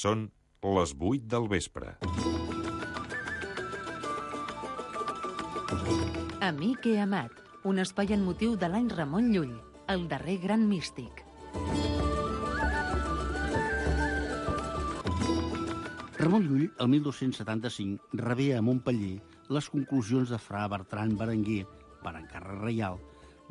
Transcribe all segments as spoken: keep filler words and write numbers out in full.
Són les vuit del vespre. Amic i amat, un espai en motiu de l'any Ramon Llull, el darrer gran místic. Ramon Llull, el mil dos-cents setanta-cinc, rebé a Montpeller les conclusions de fra Bertran Berenguer, per encàrrec reial,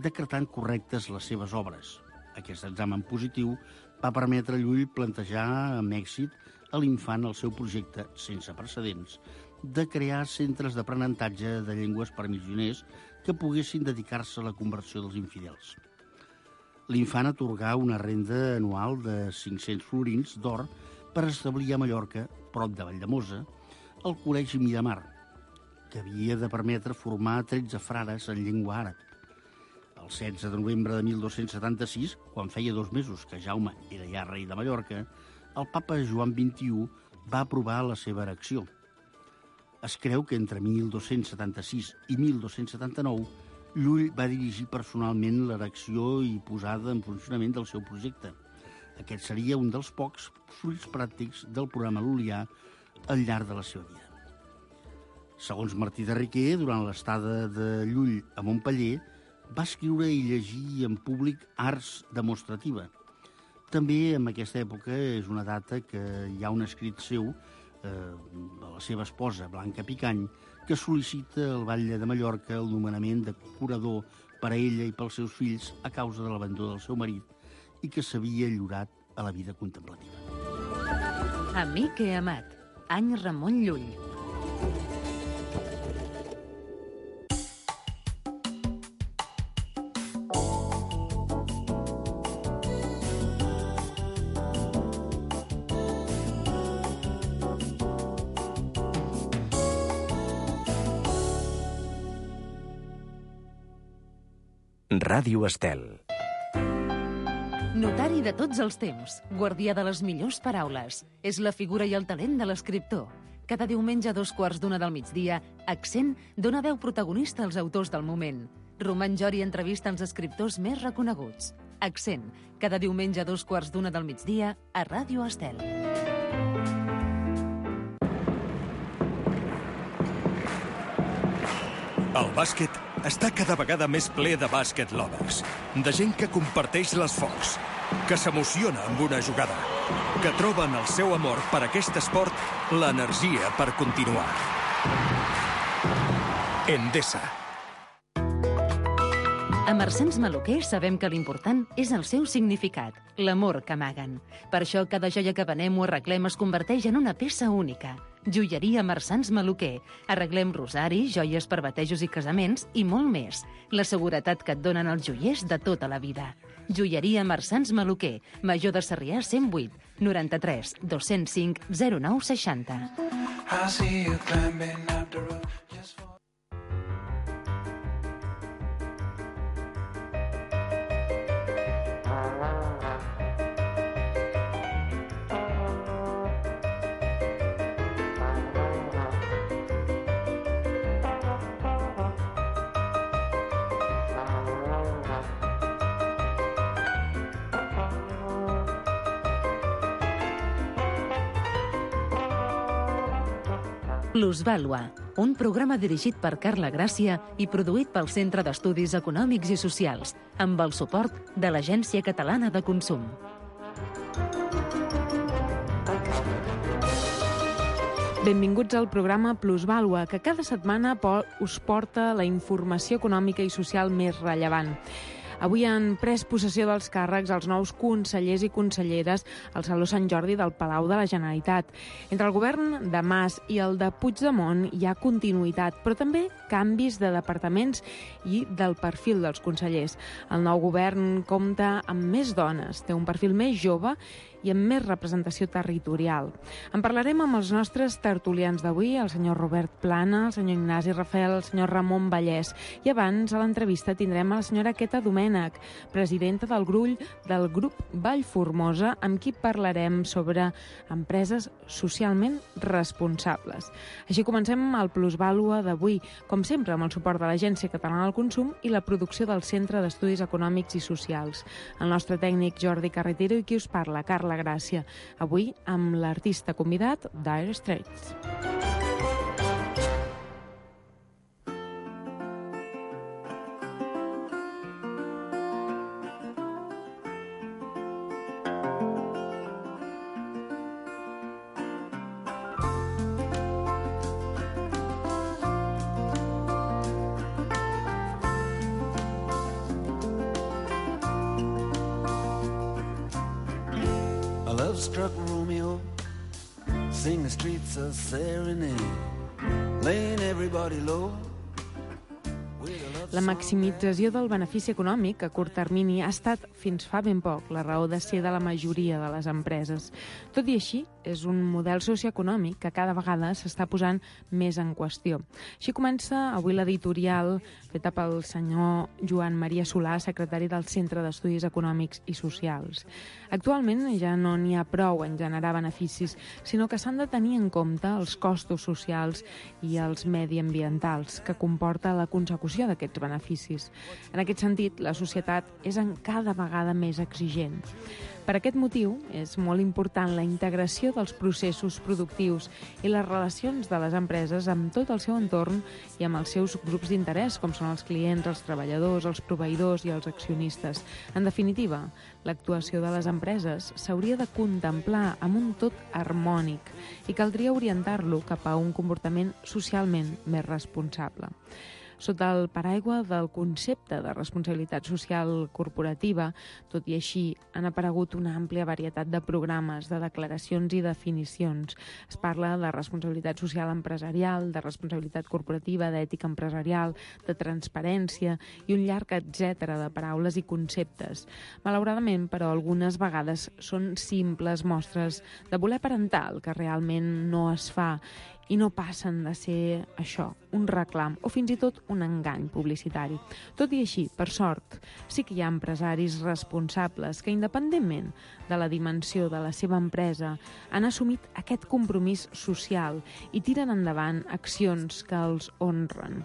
decretant correctes les seves obres. Aquest examen positiu va permetre a Llull plantejar amb èxit a l'infant el seu projecte, sense precedents, de crear centres d'aprenentatge de llengües per missioners que poguessin dedicar-se a la conversió dels infidels. L'infant atorgà una renda anual de cinc-cents florins d'or per establir a Mallorca, prop de Valldemossa, el Col·legi Miramar, que havia de permetre formar tretze frares en llengua àrab. El setze de novembre de mil dos-cents setanta-sis, quan feia dos mesos que Jaume era ja rei de Mallorca, el papa Joan vint-i-u va aprovar la seva erecció. Es creu que entre mil dos-cents setanta-sis i mil dos-cents setanta-nou Llull va dirigir personalment l'erecció i posada en funcionament del seu projecte. Aquest seria un dels pocs fruits pràctics del programa lul·lià al llarg de la seva vida. Segons Martí de Riquer, durant l'estada de Llull a Montpeller, va escriure i llegir en públic arts demostrativa. També en aquesta època és una data que hi ha un escrit seu eh, de la seva esposa, Blanca Picany, que sol·licita al Batlle de Mallorca el nomenament de curador per a ella i pels seus fills a causa de l'abandó del seu marit i que s'havia lliurat a la vida contemplativa. Amic i amat, any Ramon Llull. Ràdio Estel. Notari de tots els temps, guardià de les millors paraules. És la figura i el talent de l'escriptor. Cada diumenge a dos quarts d'una del migdia, Accent dona veu protagonista als autors del moment. Roman Jori entrevista els escriptors més reconeguts. Accent, cada diumenge a dos quarts d'una del migdia a Ràdio Estel. El bàsquet està cada vegada més ple de bàsquet lovers, de gent que comparteix l'esforç, que s'emociona amb una jugada, que troben el seu amor per aquest esport l'energia per continuar. Endesa. A Marsans Maluquer sabem que l'important és el seu significat, l'amor que amaguen. Per això cada joia que venem o arreglem es converteix en una peça única. Joieria Marsans Maluquer. Arreglem rosaris, joies per batejos i casaments i molt més. La seguretat que et donen els joiers de tota la vida. Joieria Marsans Maluquer. Major de Sarrià cent vuit, noranta-tres, dos-cents cinc, zero nou seixanta. Plusvàlua, un programa dirigit per Carla Gràcia i produït pel Centre d'Estudis Econòmics i Socials, amb el suport de l'Agència Catalana de Consum. Benvinguts al programa Plusvàlua, que cada setmana us porta la informació econòmica i social més rellevant. Avui han pres possessió dels càrrecs els nous consellers i conselleres al Saló Sant Jordi del Palau de la Generalitat. Entre el govern de Mas i el de Puigdemont hi ha continuïtat, però també canvis de departaments i del perfil dels consellers. El nou govern compta amb més dones, té un perfil més jove i amb més representació territorial. En parlarem amb els nostres tertulians d'avui, el senyor Robert Plana, el senyor Ignasi Rafel, el senyor Ramon Vallès. I abans, a l'entrevista, tindrem a la senyora Queta Domènech, presidenta del Grull del grup Vallformosa, amb qui parlarem sobre empreses socialment responsables. Així comencem el Plusvàlua d'avui, com sempre, amb el suport de l'Agència Catalana del Consum i la producció del Centre d'Estudis Econòmics i Socials. El nostre tècnic Jordi Carretero i qui us parla, Carla la gràcia. Avui amb l'artista convidat Dire Straits. Struck Romeo, sing the streets a serenade, laying everybody low. La maximització del benefici econòmic a curt termini ha estat, fins fa ben poc, la raó de ser de la majoria de les empreses. Tot i així, és un model socioeconòmic que cada vegada s'està posant més en qüestió. Així comença avui l'editorial feta pel senyor Joan Maria Solà, secretari del Centre d'Estudis Econòmics i Socials. Actualment ja no n'hi ha prou en generar beneficis, sinó que s'han de tenir en compte els costos socials i els mediambientals que comporta la consecució d'aquests beneficis. En aquest sentit, la societat és en cada vegada més exigent. Per aquest motiu, és molt important la integració dels processos productius i les relacions de les empreses amb tot el seu entorn i amb els seus grups d'interès, com són els clients, els treballadors, els proveïdors i els accionistes. En definitiva, l'actuació de les empreses s'hauria de contemplar amb un tot harmònic i caldria orientar-lo cap a un comportament socialment més responsable. Sota el paraigua del concepte de responsabilitat social corporativa, tot i així, han aparegut una àmplia varietat de programes, de declaracions i definicions. Es parla de responsabilitat social empresarial, de responsabilitat corporativa, d'ètica empresarial, de transparència i un llarg etcètera de paraules i conceptes. Malauradament, però, algunes vegades són simples mostres de voler aparentar el que realment no es fa i no passen de ser això, un reclam o fins i tot un engany publicitari. Tot i així, per sort, sí que hi ha empresaris responsables que, independentment de la dimensió de la seva empresa, han assumit aquest compromís social i tiren endavant accions que els honren.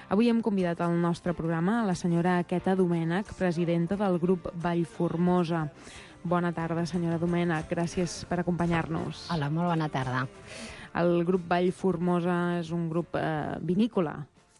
Avui hem convidat al nostre programa a la senyora Queta Domènech, presidenta del grup Vallformosa. Bona tarda, senyora Domènech. Gràcies per acompanyar-nos. Hola, molt bona tarda. El grup Vallformosa és un grup eh, vinícola.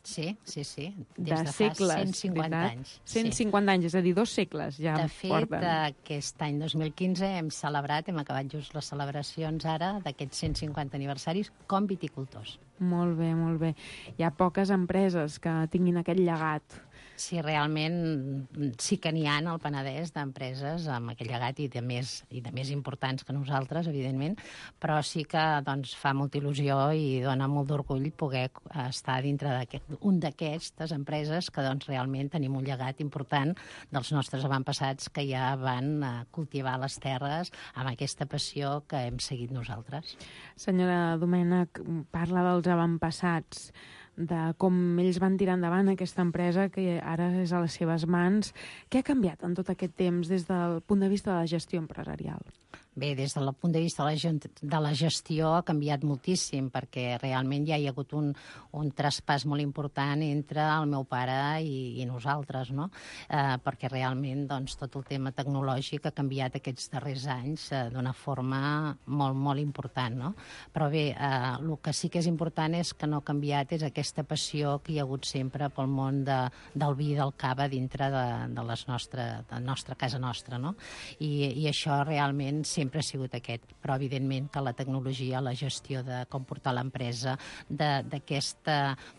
Sí, sí, sí. Des de, de segles, fa cent cinquanta veritat? anys. cent cinquanta sí. anys, és a dir, dos segles ja de fet, porten. De fet, aquest any dos mil quinze hem celebrat, hem acabat just les celebracions ara d'aquests cent cinquanta aniversaris com viticultors. Molt bé, molt bé. Hi ha poques empreses que tinguin aquest llegat. Sí, realment sí que n'hi ha al Penedès d'empreses amb aquest llegat i de, més, i de més importants que nosaltres, evidentment, però sí que doncs, fa molta il·lusió i dona molt d'orgull poder estar dintre d'un d'aquestes empreses que doncs, realment tenim un llegat important dels nostres avantpassats que ja van cultivar les terres amb aquesta passió que hem seguit nosaltres. Senyora Domènech, parla dels avantpassats, de com ells van tirar endavant aquesta empresa que ara és a les seves mans. Què ha canviat en tot aquest temps des del punt de vista de la gestió empresarial? Bé, des del punt de vista de la, de la gestió ha canviat moltíssim perquè realment ja hi ha hagut un, un traspàs molt important entre el meu pare i, i nosaltres, no? Eh, perquè realment doncs, tot el tema tecnològic ha canviat aquests darrers anys eh, d'una forma molt, molt important, no? Però bé, eh, el que sí que és important és que no ha canviat és aquesta passió que hi ha hagut sempre pel món de, del vi i del cava dintre de, de, les nostre, de la nostra casa nostra, no? I, i això realment sempre sempre ha sigut aquest, però evidentment que la tecnologia, la gestió de com portar l'empresa, d'aquesta,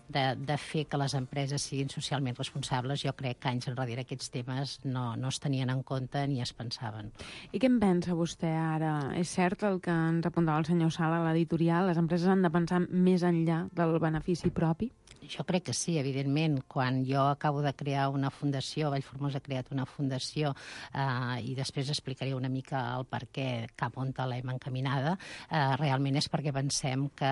de, de fer que les empreses siguin socialment responsables, jo crec que anys enrere aquests temes no, no es tenien en compte ni es pensaven. I què en pensa vostè ara? És cert el que ens apuntava el senyor Sala a l'editorial, les empreses han de pensar més enllà del benefici propi? Jo crec que sí, evidentment. Quan jo acabo de crear una fundació, Vallformosa ha creat una fundació eh, i després explicaré una mica el per què cap on l'hem encaminada, eh, realment és perquè pensem que,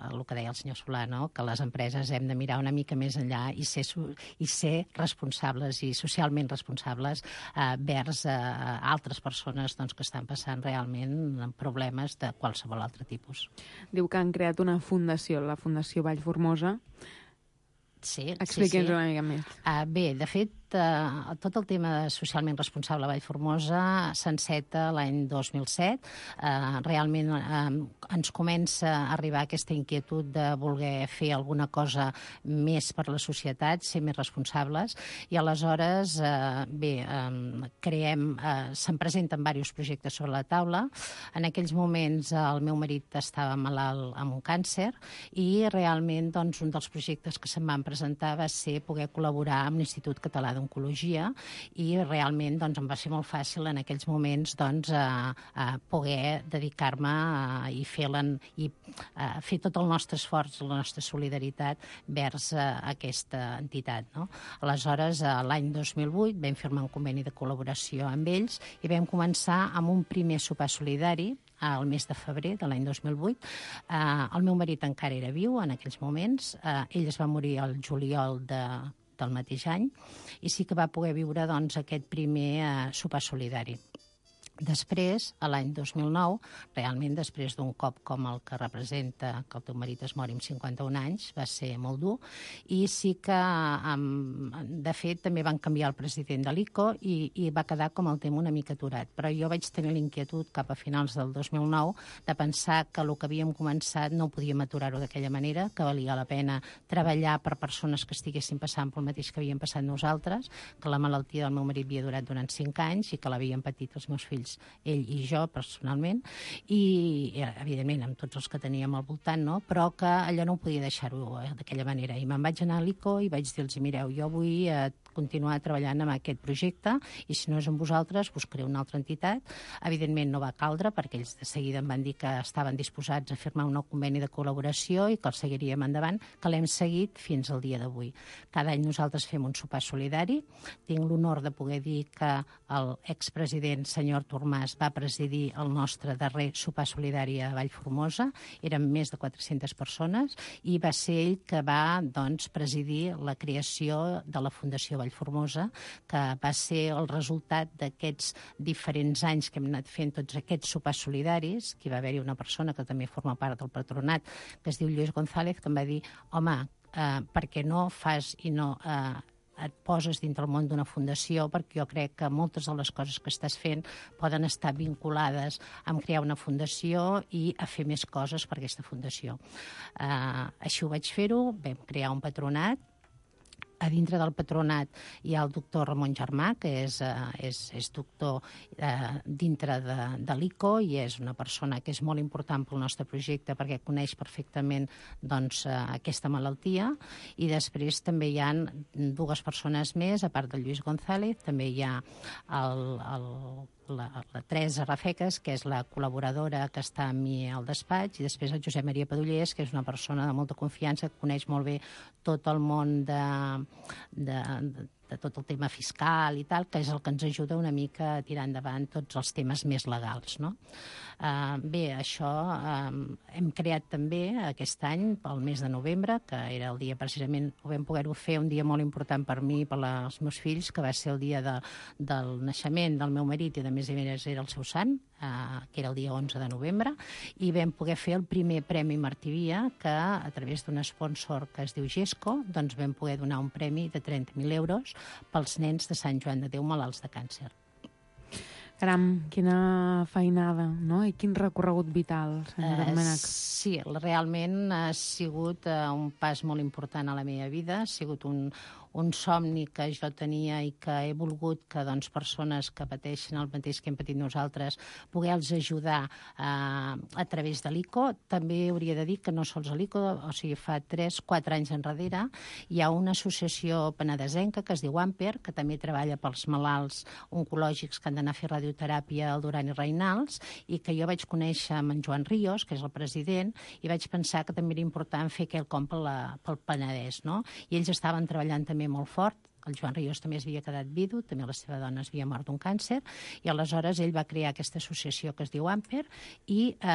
el que deia el senyor Solano, que les empreses hem de mirar una mica més enllà i ser, i ser responsables i socialment responsables eh, vers eh, altres persones doncs, que estan passant realment problemes de qualsevol altre tipus. Diu que han creat una fundació, la Fundació Vallformosa. Sí, Expliqui'ns sí, sí. una mica més. Uh, bé, de fet, eh, tot el tema socialment responsable a Vallformosa s'enceta l'any dos mil set. Eh, realment eh, ens comença a arribar aquesta inquietud de voler fer alguna cosa més per la societat, ser més responsables, i aleshores, eh, bé, eh, creem, eh, se'n presenten diversos projectes sobre la taula. En aquells moments el meu marit estava malalt amb un càncer i realment doncs, un dels projectes que se'm van presentar va ser poder col·laborar amb l'Institut Català d'Oncologia i realment doncs, em va ser molt fàcil en aquells moments doncs, a, a poder dedicar-me a, i, fer i a fer tot el nostre esforç, la nostra solidaritat vers a, aquesta entitat. No? Aleshores, l'any dos mil vuit vam firmar un conveni de col·laboració amb ells i vam començar amb un primer sopar solidari al mes de febrer de l'any dos mil vuit. Eh, el meu marit encara era viu en aquells moments. Eh, ell es va morir el juliol de, del mateix any i sí que va poder viure doncs, aquest primer eh, sopar solidari. Després, a l'any dos mil nou, realment després d'un cop com el que representa que el teu marit es mori amb cinquanta-un anys, va ser molt dur, i sí que, de fet, també van canviar el president de l'I C O i, i va quedar com el tema una mica aturat. Però jo vaig tenir l'inquietud cap a finals del dos mil nou de pensar que el que havíem començat no podíem aturar-ho d'aquella manera, que valia la pena treballar per persones que estiguessin passant pel mateix que havíem passat nosaltres, que la malaltia del meu marit havia durat durant cinc anys i que l'havien patit els meus fills, ell i jo personalment, i evidentment amb tots els que teníem al voltant, no? Però que allò no ho podia deixar-ho d'aquella manera. I me'n vaig anar a l'I C O i vaig dir-los, mireu, jo vull eh, continuar treballant amb aquest projecte i si no és amb vosaltres buscaré una altra entitat. Evidentment no va caldre perquè ells de seguida em van dir que estaven disposats a firmar un nou conveni de col·laboració i que el seguiríem endavant, que l'hem seguit fins al dia d'avui. Cada any nosaltres fem un sopar solidari. Tinc l'honor de poder dir que l'expresident senyor Tormàs va presidir el nostre darrer sopar solidari a Vallformosa. Érem més de quatre-centes persones i va ser ell que va doncs, presidir la creació de la Fundació Vallformosa, que va ser el resultat d'aquests diferents anys que hem anat fent tots aquests sopars solidaris, que hi va haver-hi una persona que també forma part del patronat, que es diu Lluís González, que em va dir, home, eh, per què no fas i no eh, et poses dintre el món d'una fundació, perquè jo crec que moltes de les coses que estàs fent poden estar vinculades a crear una fundació i a fer més coses per aquesta fundació. Eh, així ho vaig fer-ho, vam crear un patronat. A dintre del patronat hi ha el doctor Ramon Germà, que és, eh, és, és doctor eh, dintre de, de l'I C O i és una persona que és molt important pel nostre projecte perquè coneix perfectament doncs, eh, aquesta malaltia. I després també hi ha dues persones més, a part del Lluís González, també hi ha el, el La, la Teresa Rafeques, que és la col·laboradora que està amb mi al despatx, i després el Josep Maria Padullers, que és una persona de molta confiança, que coneix molt bé tot el món de, de, de, de tot el tema fiscal i tal, que és el que ens ajuda una mica a tirar endavant tots els temes més legals. No? Uh, bé, això uh, hem creat també aquest any, pel mes de novembre, que era el dia precisament, ho vam poder-ho fer un dia molt important per mi i per als meus fills, que va ser el dia de, del naixement del meu marit i de més a més era el seu sant, uh, que era el dia onze de novembre, i vam poder fer el primer Premi Martí Via, que a través d'un sponsor que es diu Gesco, doncs vam poder donar un premi de trenta mil euros pels nens de Sant Joan de Déu malalts de càncer. Caram, quina feinada, no? I quin recorregut vital, senyora Uh, Domènech. sí, realment ha sigut uh, un pas molt important a la meva vida, ha sigut un, un somni que jo tenia i que he volgut que doncs, persones que pateixen el mateix que hem patit nosaltres poder-los ajudar uh, a través de l'I C O. També hauria de dir que no sols a l'I C O, o sigui, fa tres quatre anys enrere hi ha una associació penedesenca que es diu Amper, que també treballa pels malalts oncològics que han d'anar a fer radioteràpia al Duran i Reinals, i que jo vaig conèixer amb en Joan Ríos, que és el president, i vaig pensar que també era important fer quelcom pel, pel Penedès, no? I ells estaven treballant també molt fort. El Joan Ríos també es havia quedat vidu, també la seva dona es havia mort d'un càncer, i aleshores ell va crear aquesta associació que es diu Amper, i eh,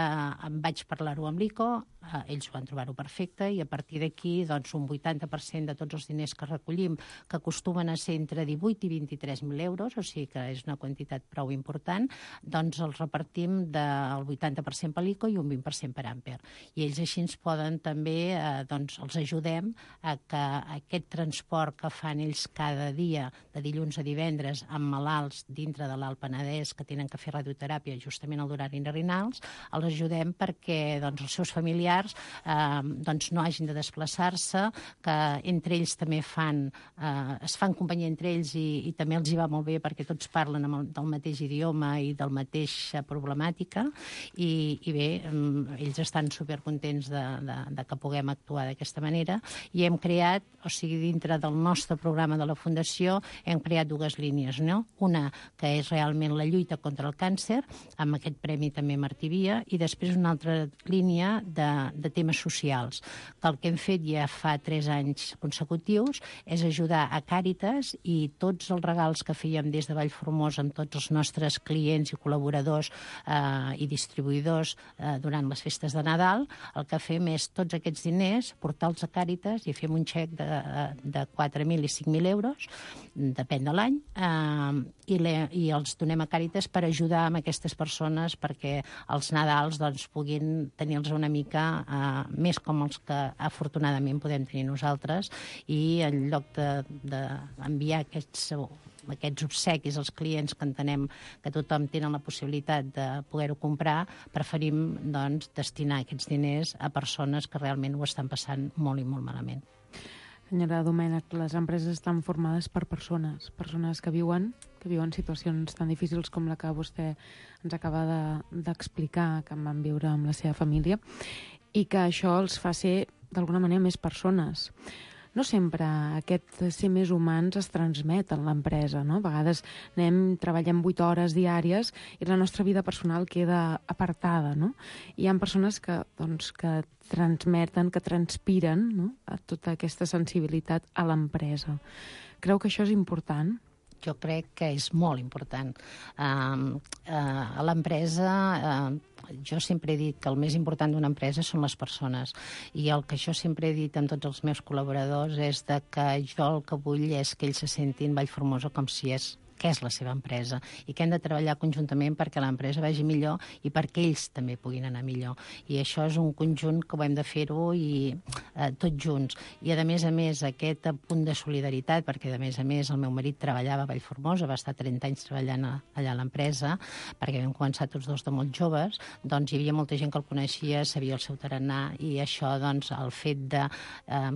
em vaig parlar-ho amb l'I C O, eh, ells van trobar-ho perfecte, i a partir d'aquí doncs, un vuitanta per cent de tots els diners que recollim, que acostumen a ser entre divuit i vint-i-tres mil euros, o sigui que és una quantitat prou important, doncs els repartim del vuitanta per cent per l'I C O i un vint per cent per Amper. I ells així ens poden també, eh, doncs els ajudem a que aquest transport que fan ells cada cada dia, de dilluns a divendres, amb malalts dintre de l'Alt Penedès que tenen que fer radioteràpia justament al durant renals, els ajudem perquè doncs, els seus familiars eh, doncs, no hagin de desplaçar-se, que entre ells també fan, eh, es fan companyia entre ells i, i també els hi va molt bé perquè tots parlen amb el, del mateix idioma i del mateixa problemàtica i, i bé, ells estan supercontents de, de, de que puguem actuar d'aquesta manera i hem creat, o sigui, dintre del nostre programa de la Fundació hem creat dues línies, no? Una que és realment la lluita contra el càncer, amb aquest premi també Martí Via, i després una altra línia de, de temes socials, que el que hem fet ja fa tres anys consecutius és ajudar a Càritas i tots els regals que fèiem des de Vallformosa amb tots els nostres clients i col·laboradors eh, i distribuïdors eh, durant les festes de Nadal, el que fem és tots aquests diners portar-los a Càritas i fem un xec de, de quatre mil i cinc mil euros, depèn de l'any, eh, i, le, i els donem a Càritas per ajudar amb aquestes persones perquè els Nadals doncs, puguin tenir-los una mica eh, més com els que afortunadament podem tenir nosaltres i en lloc d'enviar de, aquests aquests obsequis als clients que entenem que tothom tenen la possibilitat de poder-ho comprar, preferim doncs, destinar aquests diners a persones que realment ho estan passant molt i molt malament. Senyora Domènech, les empreses estan formades per persones, persones que viuen, que viuen situacions tan difícils com la que vostè ens acaba d'explicar, de, que en van viure amb la seva família, i que això els fa ser, d'alguna manera, més persones. No sempre aquest ser més humans es transmet en l'empresa, no? A vegades anem, treballem vuit hores diàries i la nostra vida personal queda apartada, no? I hi ha persones que, doncs, que transmeten, que transpiren, no? A tota aquesta sensibilitat a l'empresa. Creu que això és important? Jo crec que és molt important. Uh, uh, a l'empresa... Uh, Jo sempre he dit que el més important d'una empresa són les persones i el que jo sempre he dit amb tots els meus col·laboradors és de que jo el que vull és que ells se sentin Vallformosa com si és que és la seva empresa i que hem de treballar conjuntament perquè l'empresa vagi millor i perquè ells també puguin anar millor. I això és un conjunt que ho hem de fer-ho i eh, tots junts. I a més a més aquest punt de solidaritat, perquè a més a més el meu marit treballava a Vallformosa, va estar trenta anys treballant a, allà a l'empresa, perquè vam començar tots dos de molt joves, doncs hi havia molta gent que el coneixia, sabia el seu tarannà i això, doncs, el fet de... Eh,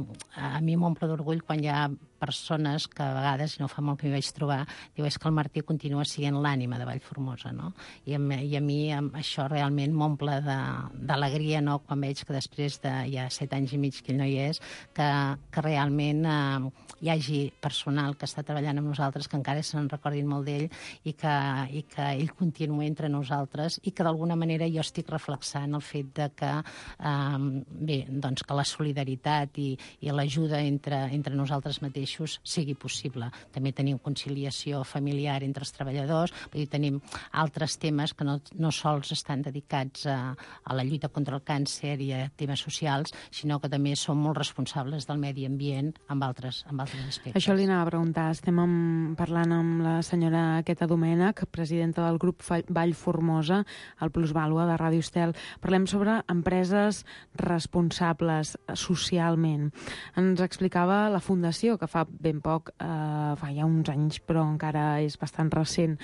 a mi m'omple d'orgull quan hi ha persones que a vegades, i no fa molt que m'hi vaig trobar, diu, és que el Martí continua sent l'ànima de Vallformosa, no? I a, I a mi això realment m'omple d'alegria, no?, quan veig que després de ja set anys i mig que ell no hi és, que, que realment eh, hi hagi personal que està treballant amb nosaltres, que encara se'n recordin molt d'ell i, que, i que ell continua entre nosaltres i que d'alguna manera jo estic reflexant el fet de que, eh, bé, doncs que la solidaritat i, i l'ajuda entre, entre nosaltres mateixos sigui possible. També tenim conciliació familiar entre els treballadors, vull dir, tenim altres temes que no, no sols estan dedicats a, a la lluita contra el càncer i a temes socials, sinó que també som molt responsables del medi ambient amb altres, amb altres aspectes. Això li anava a preguntar. Estem amb, parlant amb la senyora Queta Domènech, presidenta del grup Vallformosa, el Plusvàlua de Ràdio Estel. Parlem sobre empreses responsables socialment. Ens explicava la fundació que fa ben poc, eh, fa ja uns anys, però encara és bastant recent,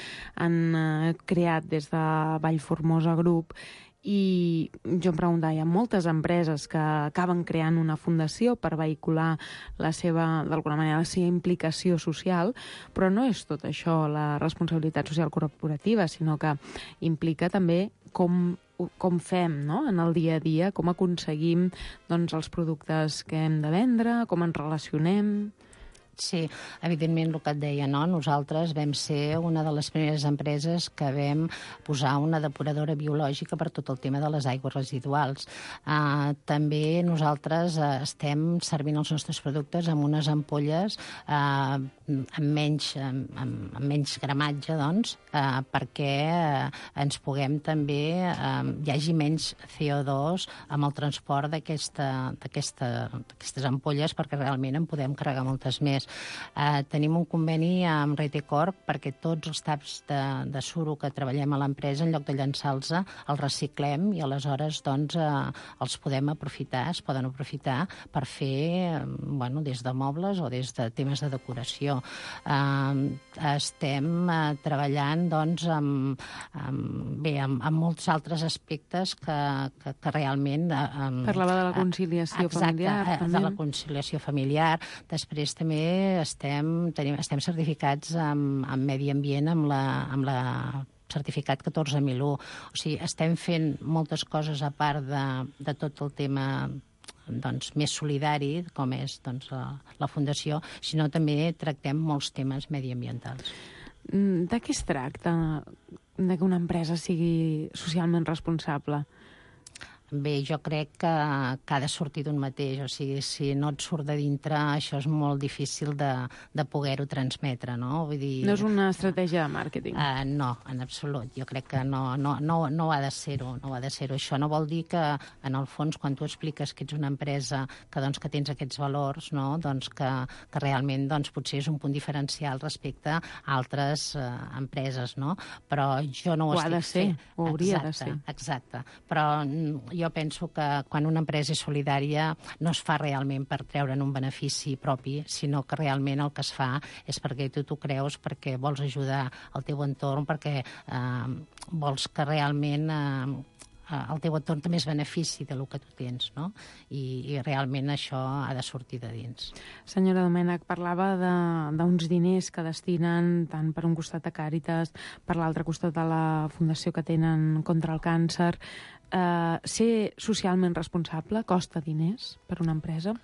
han eh, creat des de Vallformosa Group i jo em preguntava, hi ha moltes empreses que acaben creant una fundació per vehicular la seva, d'alguna manera, la seva implicació social, però no és tot això la responsabilitat social corporativa, sinó que implica també com com fem, no?, en el dia a dia, com aconseguim doncs, els productes que hem de vendre, com ens relacionem... Sí, evidentment el que et deia, no? Nosaltres vam ser una de les primeres empreses que vam posar una depuradora biològica per tot el tema de les aigües residuals. Uh, també nosaltres uh, estem servint els nostres productes amb unes ampolles uh, amb, menys, amb, amb menys gramatge, doncs, uh, perquè uh, ens puguem també, uh, hi hagi menys C O dos amb el transport d'aquesta, d'aquesta, d'aquestes ampolles perquè realment en podem carregar moltes més. més. Eh, tenim un conveni amb Retecorp perquè tots els taps de, de suro que treballem a l'empresa, en lloc de llançar-los, els reciclem i aleshores doncs, eh, els podem aprofitar, es poden aprofitar per fer, eh, bueno, des de mobles o des de temes de decoració. Eh, estem eh, treballant doncs, amb, amb, bé, amb, amb molts altres aspectes que, que, que realment... Eh, Parlava de la conciliació exacte, familiar. Exacte, també. de la conciliació familiar. Després també estem, tenim, estem certificats amb, amb medi ambient, amb la, amb la certificat catorze mil u. O sigui, estem fent moltes coses a part de, de tot el tema doncs, més solidari, com és doncs, la, la Fundació, sinó també tractem molts temes mediambientals. De què es tracta de que una empresa sigui socialment responsable? Bé, jo crec que, que ha de sortir d'un mateix. O sigui, si no et surt de dintre, això és molt difícil de, de poder-ho transmetre, no? Vull dir... No és una estratègia de màrqueting. Uh, no, en absolut. Jo crec que no, no, no, no ha de ser-ho. No ha de ser-ho. Això no vol dir que, en el fons, quan tu expliques que ets una empresa que, doncs, que tens aquests valors, no? Doncs que, que realment doncs, potser és un punt diferencial respecte a altres uh, empreses, no? Però jo no ho, ho estic ha de ser, fent. ho hauria exacte, de ser. Exacte. Però jo penso que quan una empresa és solidària no es fa realment per treure'n un benefici propi, sinó que realment el que es fa és perquè tu t'ho creus, perquè vols ajudar el teu entorn, perquè eh, vols que realment eh, el teu entorn també es benefici del que tu tens, no? I, i realment això ha de sortir de dins. Senyora Domènech, parlava d'uns diners que destinen tant per un costat a Càritas, per l'altre costat a la fundació que tenen contra el càncer. Uh, ser socialment responsable costa diners per una empresa?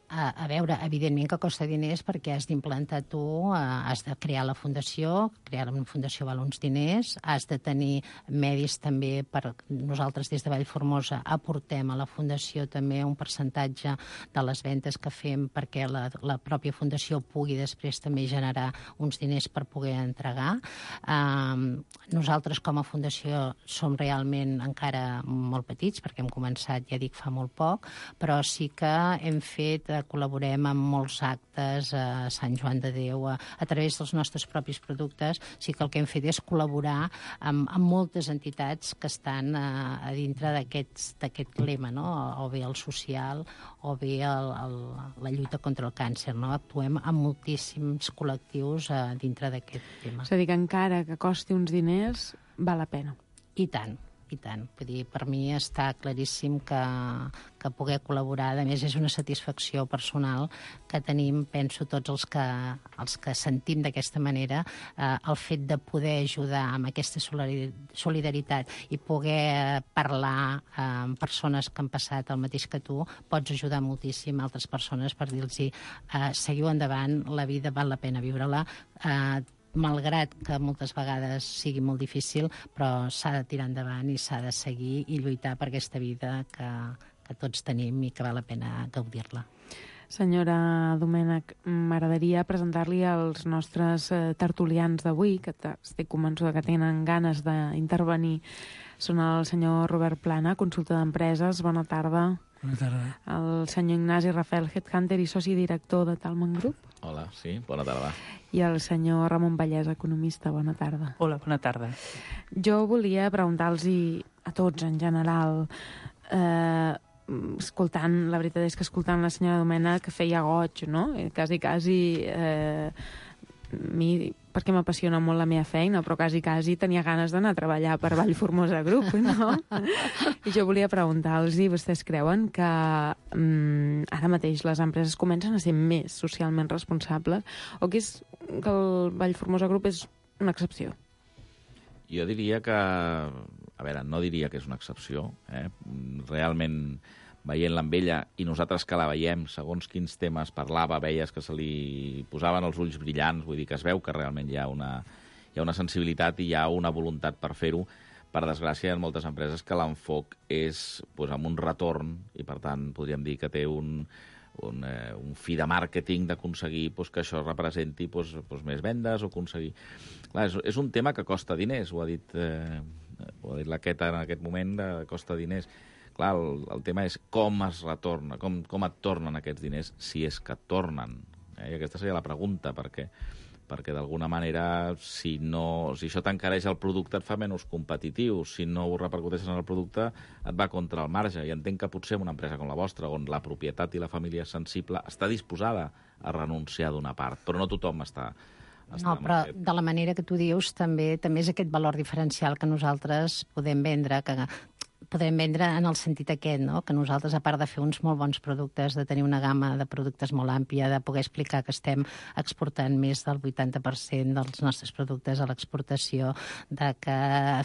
A, a veure, evidentment que costa diners perquè has d'implantar tu, eh, has de crear la fundació, crear una fundació val uns diners, has de tenir medis també per... Nosaltres des de Vallformosa aportem a la fundació també un percentatge de les ventes que fem perquè la, la pròpia fundació pugui després també generar uns diners per poder entregar. Eh, nosaltres com a fundació som realment encara molt petits perquè hem començat, ja dic, fa molt poc, però sí que hem fet col·laborem amb molts actes a Sant Joan de Déu, a, a través dels nostres propis productes. Sí que el que hem fet és col·laborar amb, amb moltes entitats que estan a, a dintre d'aquest lema, no? O bé el social o bé el, el, la lluita contra el càncer. No? Actuem amb moltíssims col·lectius a dintre d'aquest tema. És a dir, que encara que costi uns diners, val la pena. I tant. I tant. Vull dir, per mi està claríssim que, que poder col·laborar, a més, és una satisfacció personal que tenim, penso, tots els que, els que sentim d'aquesta manera, eh, el fet de poder ajudar amb aquesta solidaritat i poder parlar eh, amb persones que han passat el mateix que tu, pots ajudar moltíssim a altres persones per dir-los eh, seguiu endavant, la vida val la pena viure-la, eh, malgrat que moltes vegades sigui molt difícil, però s'ha de tirar endavant i s'ha de seguir i lluitar per aquesta vida que, que tots tenim i que val la pena gaudir-la. Senyora Domènech, m'agradaria presentar-li als nostres eh, tertulians d'avui, que estic convençuda que tenen ganes d'intervenir. Són el senyor Robert Plana, consultor d'empreses. Bona tarda. Bona tarda. El senyor Ignasi Rafel, headhunter i soci director de Talman Group. Hola, sí, bona tarda. I el senyor Ramon Vallès, economista. Bona tarda. Hola, bona tarda. Jo volia preguntar-los a tots en general, eh, escoltant, la veritat és que escoltant la senyora Domènech que feia goig, no? Quasi, quasi... Eh, mi, perquè m'apassiona molt la meva feina, però quasi, quasi tenia ganes d'anar a treballar per Vallformosa Group, no? I jo volia preguntar-los, vostès creuen que mm, ara mateix les empreses comencen a ser més socialment responsables o que, és, que el Vallformosa Group és una excepció? Jo diria que... A veure, no diria que és una excepció. Eh? Realment, veient-la amb ella, i nosaltres que la veiem, segons quins temes parlava, veies que se li posaven els ulls brillants, vull dir que es veu que realment hi ha una, hi ha una sensibilitat i hi ha una voluntat per fer-ho. Per desgràcia, hi ha moltes empreses que l'enfoc és pues, amb un retorn, i per tant podríem dir que té un, un, eh, un fi de màrqueting d'aconseguir pues, que això representi pues, pues, més vendes o aconseguir... Clar, és, és un tema que costa diners, ho ha dit, eh, ho ha dit la Queta en aquest moment, de, costa diners. Clar, el, el tema és com es retorna, com, com et tornen aquests diners, si és que et tornen. Eh? I aquesta seria la pregunta, perquè, perquè d'alguna manera, si, no, si això t'encareix el producte, et fa menys competitiu. Si no ho repercuteixes en el producte, et va contra el marge. I entenc que potser en una empresa com la vostra, on la propietat i la família és sensible, està disposada a renunciar d'una part, però no tothom està... No, però de la manera que tu dius, també també és aquest valor diferencial que nosaltres podem vendre, que podem vendre en el sentit aquest, no? Que nosaltres, a part de fer uns molt bons productes, de tenir una gamma de productes molt àmplia, de poder explicar que estem exportant més del vuitanta per cent dels nostres productes a l'exportació, de que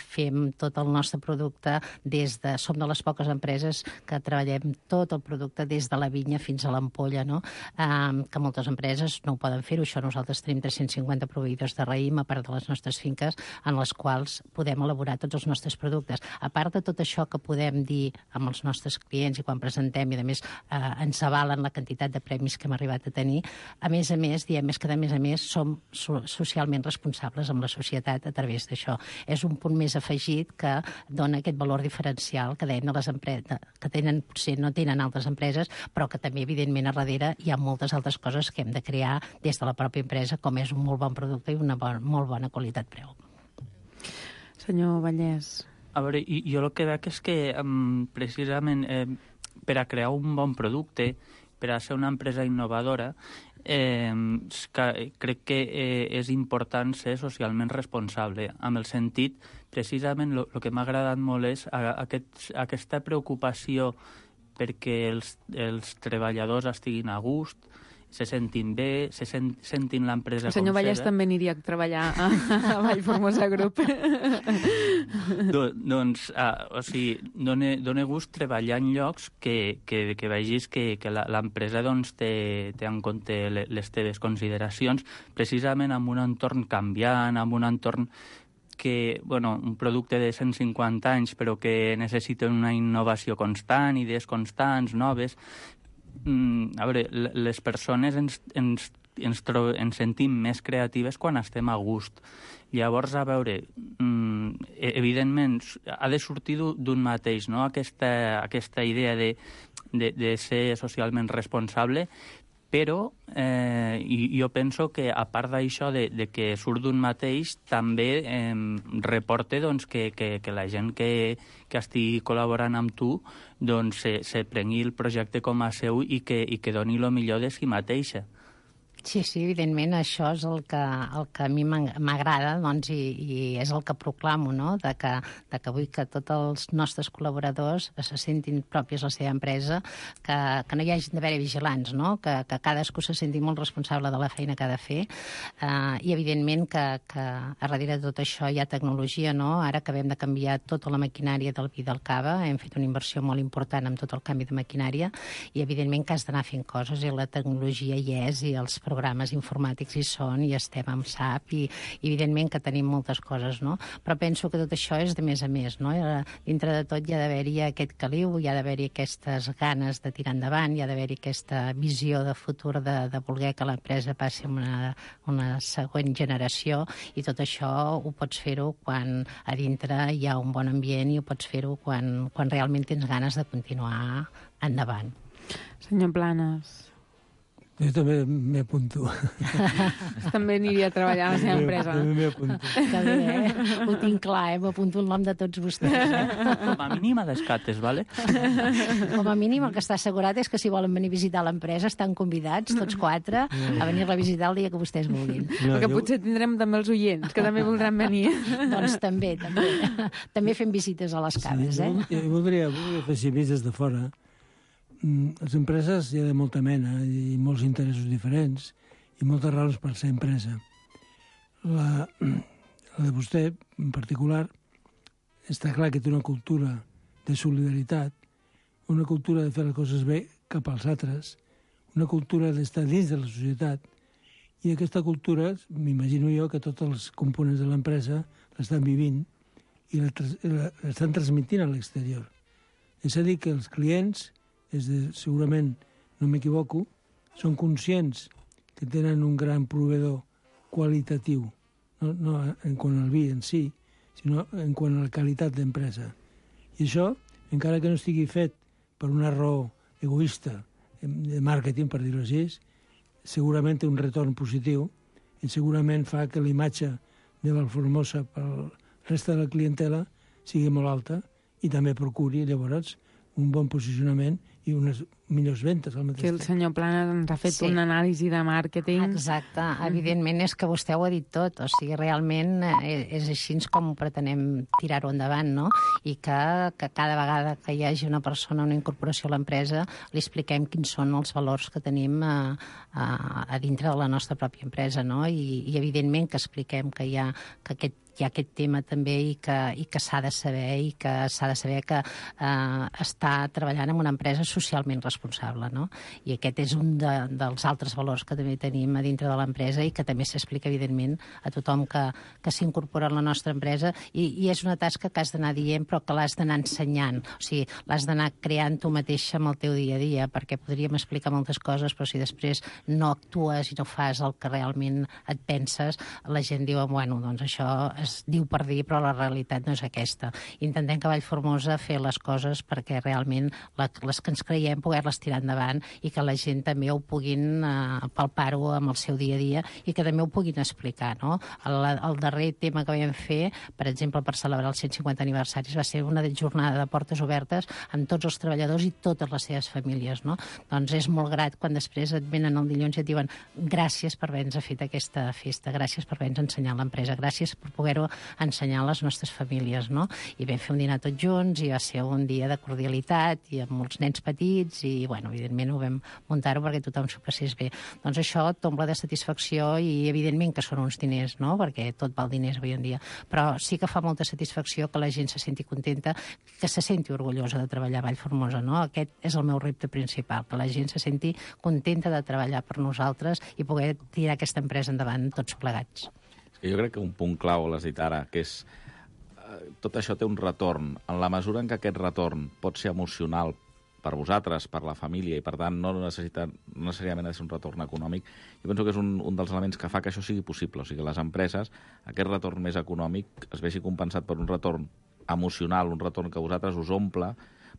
fem tot el nostre producte des de... Som de les poques empreses que treballem tot el producte des de la vinya fins a l'ampolla, no? Um, que moltes empreses no ho poden fer-ho. Això nosaltres tenim tres-cents cinquanta proveïdors de raïm, a part de les nostres finques, en les quals podem elaborar tots els nostres productes. A part de tot això que podem dir amb els nostres clients i quan presentem, i a més eh, ens avalen la quantitat de premis que hem arribat a tenir, a més a més, diem més que a més a més som so socialment responsables amb la societat a través d'això. És un punt més afegit que dona aquest valor diferencial que dèiem de les empreses, que tenen, potser no tenen altres empreses, però que també, evidentment, a darrere hi ha moltes altres coses que hem de crear des de la pròpia empresa, com és un molt bon producte i una bon, molt bona qualitat-preu. Senyor Vallès. A veure, jo el que veig és que um, precisament eh, per a crear un bon producte, per a ser una empresa innovadora, eh, que, crec que eh, és important ser socialment responsable, amb el sentit, precisament el que m'ha agradat molt és a, a aquest, aquesta preocupació perquè els, els treballadors estiguin a gust, se sentin bé, se sent, sentin l'empresa com seva. El senyor Vallès també aniria a treballar a, a Vallformosa Group. Do, doncs, uh, o sigui, dona, dona gust treballar en llocs que, que, que vegis que, que l'empresa doncs, té, té en compte les teves consideracions, precisament en un entorn canviant, en un entorn que, bueno, un producte de cent cinquanta anys, però que necessita una innovació constant, idees constants, noves. Mm, a veure, les persones ens, ens, ens, tro ens sentim més creatives quan estem a gust. Llavors, a veure, mm, evidentment, ha de sortir d'un mateix, no?, aquesta, aquesta idea de, de, de ser socialment responsable, però eh, jo penso que, a part d'això de, de que surt d'un mateix, també eh, reporta doncs, que, que, que la gent que, que estigui col·laborant amb tu doncs, se, se prengui el projecte com a seu i que, i que doni el millor de si mateixa. Sí, sí, evidentment, això és el que, el que a mi m'agrada, doncs, i, i és el que proclamo, no?, de que, de que vull que tots els nostres col·laboradors se sentin pròpies a la seva empresa, que, que no hi hagi d'haver vigilants, no?, que, que cadascú se senti molt responsable de la feina que ha de fer, eh, i evidentment que, que a darrere de tot això hi ha tecnologia, no?, ara acabem de canviar tota la maquinària del vi del cava, hem fet una inversió molt important amb tot el canvi de maquinària, i evidentment que has d'anar fent coses, i la tecnologia hi és, i els programes informàtics hi són, i estem amb S A P, i, i evidentment que tenim moltes coses, no? Però penso que tot això és de més a més, no? Dintre de tot hi ha d'haver-hi aquest caliu, hi ha d'haver-hi aquestes ganes de tirar endavant, hi ha d'haver-hi aquesta visió de futur de, de voler que l'empresa passi a una, una següent generació, i tot això ho pots fer-ho quan a dintre hi ha un bon ambient, i ho pots fer-ho quan, quan realment tens ganes de continuar endavant. Senyor Planes. Jo també m'hi apunto. També aniria a treballar a la seva empresa. També m'hi apunto. Que bé, eh? Ho tinc clar, eh? M'apunto el nom de tots vostès. Eh? Com a mínim a descates, vale? Com a mínim el que està assegurat és que si volen venir a visitar l'empresa estan convidats, tots quatre, a venir-la a visitar el dia que vostès vulguin. No, Perquè jo... potser tindrem també els oients, que també voldran venir. Doncs també, també. També fem visites a les cases, sí, eh? Jo, jo voldria, voldria fer si des de fora. Les empreses hi ha de molta mena i molts interessos diferents i moltes raons per ser empresa. La, la de vostè, en particular, està clar que té una cultura de solidaritat, una cultura de fer les coses bé cap als altres, una cultura d'estar dins de la societat, i aquesta cultura, m'imagino jo, que tots els components de l'empresa l'estan vivint i l'estan transmitint a l'exterior. És a dir, que els clients, és de, segurament, no m'equivoco, són conscients que tenen un gran proveïdor qualitatiu, no, no en quant al vi en si, sinó en quant a la qualitat d'empresa. I això, encara que no estigui fet per una raó egoista de màrqueting, per dir-ho així, segurament té un retorn positiu i segurament fa que la imatge de Vallformosa per la resta de la clientela sigui molt alta i també procuri, llavors, un bon posicionament i unes millors ventes al mateix Que el temps. senyor Planes ens ha fet Sí. una anàlisi de màrqueting. Exacte, evidentment és que vostè ho ha dit tot, o sigui, realment eh, és així com ho pretenem tirar-ho endavant, no? I que, que cada vegada que hi hagi una persona, una incorporació a l'empresa, li expliquem quins són els valors que tenim a, a, a dintre de la nostra pròpia empresa, no? I, i evidentment que expliquem que hi ha, que aquest hi ha aquest tema també i que, i que s'ha de saber i que s'ha de saber que eh, està treballant en una empresa socialment responsable, no? I aquest és un de, dels altres valors que també tenim a dintre de l'empresa i que també s'explica, evidentment, a tothom que, que s'incorpora a la nostra empresa i, i és una tasca que has d'anar dient però que l'has d'anar ensenyant, o sigui, l'has d'anar creant tu mateixa amb el teu dia a dia, perquè podríem explicar moltes coses, però si després no actues i no fas el que realment et penses, la gent diu, bueno, doncs això es diu per dir, però la realitat no és aquesta. Intentem que Vallformosa fer les coses perquè realment la, les que ens creiem poder-les tirar endavant i que la gent també ho puguin eh, palpar-ho amb el seu dia a dia i que també ho puguin explicar, no? El, el darrer tema que vam fer, per exemple, per celebrar els cent cinquanta aniversaris, va ser una jornada de portes obertes amb tots els treballadors i totes les seves famílies, no? Doncs és molt grat quan després et venen el dilluns i et diuen gràcies per haver-nos fet aquesta festa, gràcies per haver-nos ensenyat l'empresa, gràcies per poder ensenyar a les nostres famílies, no? I vam fer un dinar tots junts i va ser un dia de cordialitat i amb molts nens petits i, bueno, evidentment ho vam muntar-ho perquè tothom s'ho passés bé. Doncs això t'omple de satisfacció i, evidentment, que són uns diners, no? Perquè tot val diners avui en dia. Però sí que fa molta satisfacció que la gent se senti contenta, que se senti orgullosa de treballar a Vallformosa, no? Aquest és el meu repte principal, que la gent se senti contenta de treballar per nosaltres i poder tirar aquesta empresa endavant tots plegats. Jo crec que un punt clau, l'has dit ara, que és eh, tot això té un retorn. En la mesura en què aquest retorn pot ser emocional per vosaltres, per la família, i per tant no necessita no necessàriament ha de ser un retorn econòmic, jo penso que és un, un dels elements que fa que això sigui possible. O sigui, que les empreses, aquest retorn més econòmic es vegi compensat per un retorn emocional, un retorn que a vosaltres us omple,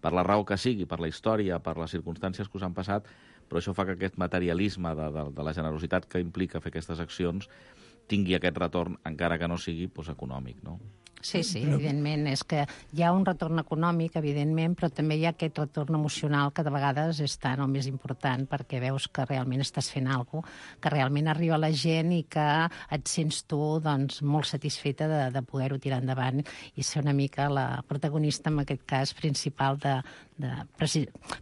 per la raó que sigui, per la història, per les circumstàncies que us han passat, però això fa que aquest materialisme de, de, de la generositat que implica fer aquestes accions tingui aquest retorn, encara que no sigui doncs, econòmic, no? Sí, sí, evidentment. És que hi ha un retorn econòmic, evidentment, però també hi ha aquest retorn emocional que de vegades és tan o més important perquè veus que realment estàs fent alguna cosa, que realment arriba a la gent i que et sents tu doncs, molt satisfeta de, de poder-ho tirar endavant i ser una mica la protagonista, en aquest cas, principal de... de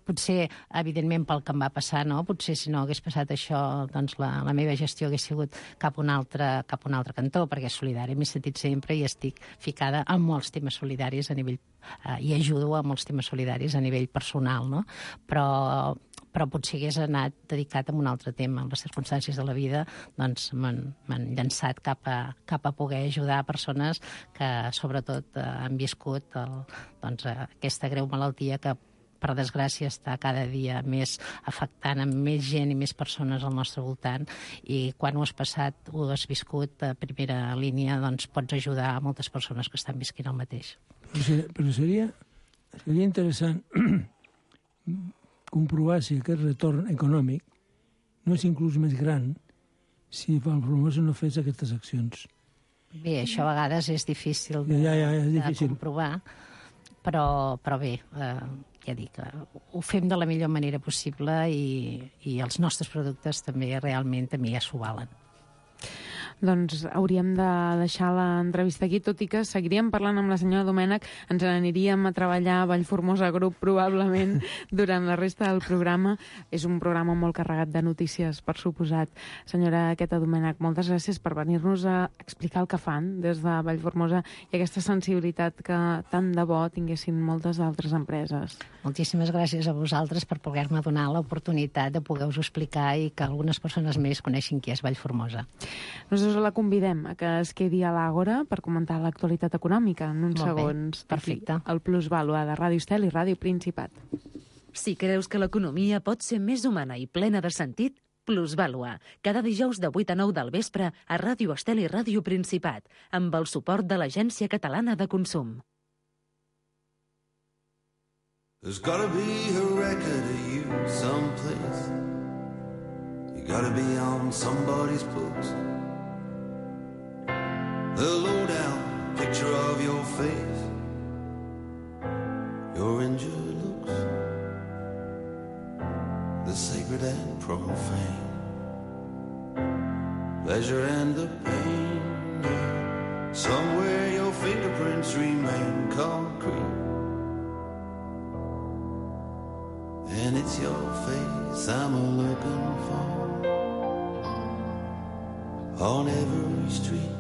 potser, evidentment, pel que em va passar, no? Potser si no hagués passat això, doncs la, la meva gestió hagués sigut cap a un altre, cap a un altre cantó, perquè solidari m'he sentit sempre i estic ficada en molts temes solidaris a nivell, eh, i ajudo a molts temes solidaris a nivell personal, no? Però, però potser hagués anat dedicat a un altre tema. En les circumstàncies de la vida doncs m'han llançat cap a, cap a poder ajudar persones que sobretot eh, han viscut el, doncs, aquesta greu malaltia que per desgràcia està cada dia més afectant a més gent i més persones al nostre voltant i quan ho has passat, ho has viscut a primera línia, doncs pots ajudar a moltes persones que estan visquint el mateix. Però seria, però seria, seria interessant comprovar si aquest retorn econòmic no és inclús més gran si Vallformosa no fes aquestes accions. Bé, això a vegades és difícil de, ja, ja, és difícil. de comprovar, però, però bé, eh, ja dic, ho fem de la millor manera possible i, i els nostres productes també realment també ja s'ho valen. Doncs hauríem de deixar l'entrevista aquí, tot i que seguiríem parlant amb la senyora Domènech, ens n'aniríem a treballar a Vallformosa Group probablement durant la resta del programa. És un programa molt carregat de notícies, per suposat. Senyora Queta Domènech, moltes gràcies per venir-nos a explicar el que fan des de Vallformosa i aquesta sensibilitat que tant de bo tinguessin moltes altres empreses. Moltíssimes gràcies a vosaltres per poder-me donar l'oportunitat de poder-vos explicar i que algunes persones més coneixin qui és Vallformosa. Nosaltres la convidem a que es quedi a l'Àgora per comentar l'actualitat econòmica en uns Molt segons. Bé, perfecte. El Plusvàlua de Ràdio Estel i Ràdio Principat. Si creus que l'economia pot ser més humana i plena de sentit, Plusvàlua, cada dijous de vuit a nou del vespre a Ràdio Estel i Ràdio Principat, amb el suport de l'Agència Catalana de Consum. There's gotta be a record of you someplace. You gotta be on somebody's books. The low-down picture of your face, your injured looks, the sacred and profane, pleasure and the pain, yeah. Somewhere your fingerprints remain concrete, and it's your face I'm a-looking for on every street.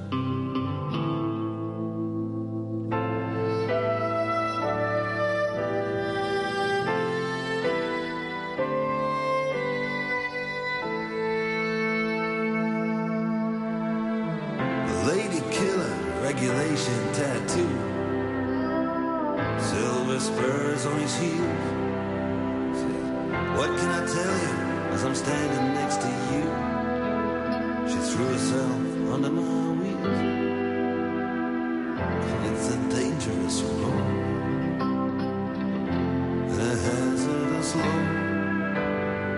Lady killer, regulation tattoo, silver spurs on his heels. What can I tell you as I'm standing next to you? She threw herself under my wheels. It's a dangerous road and a hazardous load,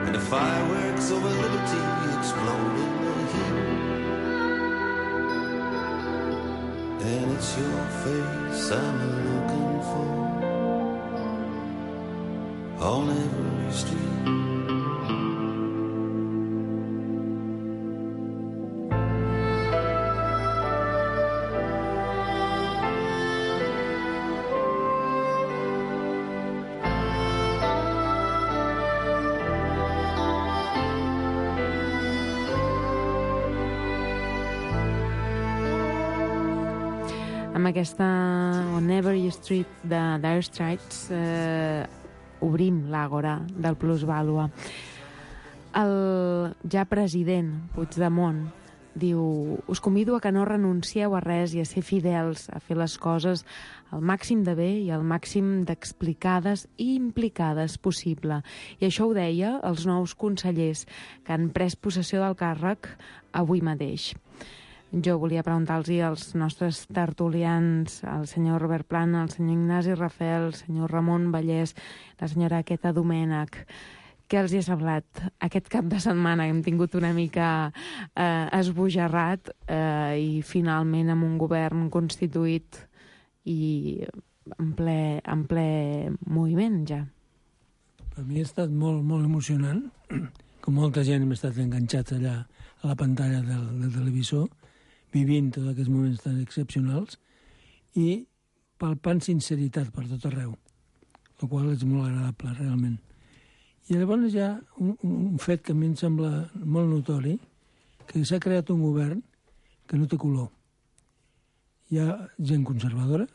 and the fireworks over liberty explode in the heat. And it's your face I'm looking for on every street. Amb aquesta On Every Street de Dire Straits eh, obrim l'àgora del plusvàlua. El ja president Puigdemont diu: us convido a que no renuncieu a res i a ser fidels, a fer les coses al màxim de bé i al màxim d'explicades i implicades possible. I això ho deia els nous consellers que han pres possessió del càrrec avui mateix. Jo volia preguntar-los als nostres tertulians, al senyor Robert Plana, al senyor Ignasi Rafel, al senyor Ramon Vallès, la senyora Queta Domènech, què els hi ha semblat aquest cap de setmana? Hem tingut una mica eh, esbojarrat eh, i finalment amb un govern constituït i en ple, en ple moviment ja. Per mi ha estat molt, molt emocionant, com molta gent hem estat enganxats allà a la pantalla del, del televisor, vivint tots aquests moments tan excepcionals i palpant sinceritat per tot arreu, el qual és molt agradable, realment. I llavors hi ha un, un fet que a mi em sembla molt notori, que s'ha creat un govern que no té color. Hi ha gent conservadora,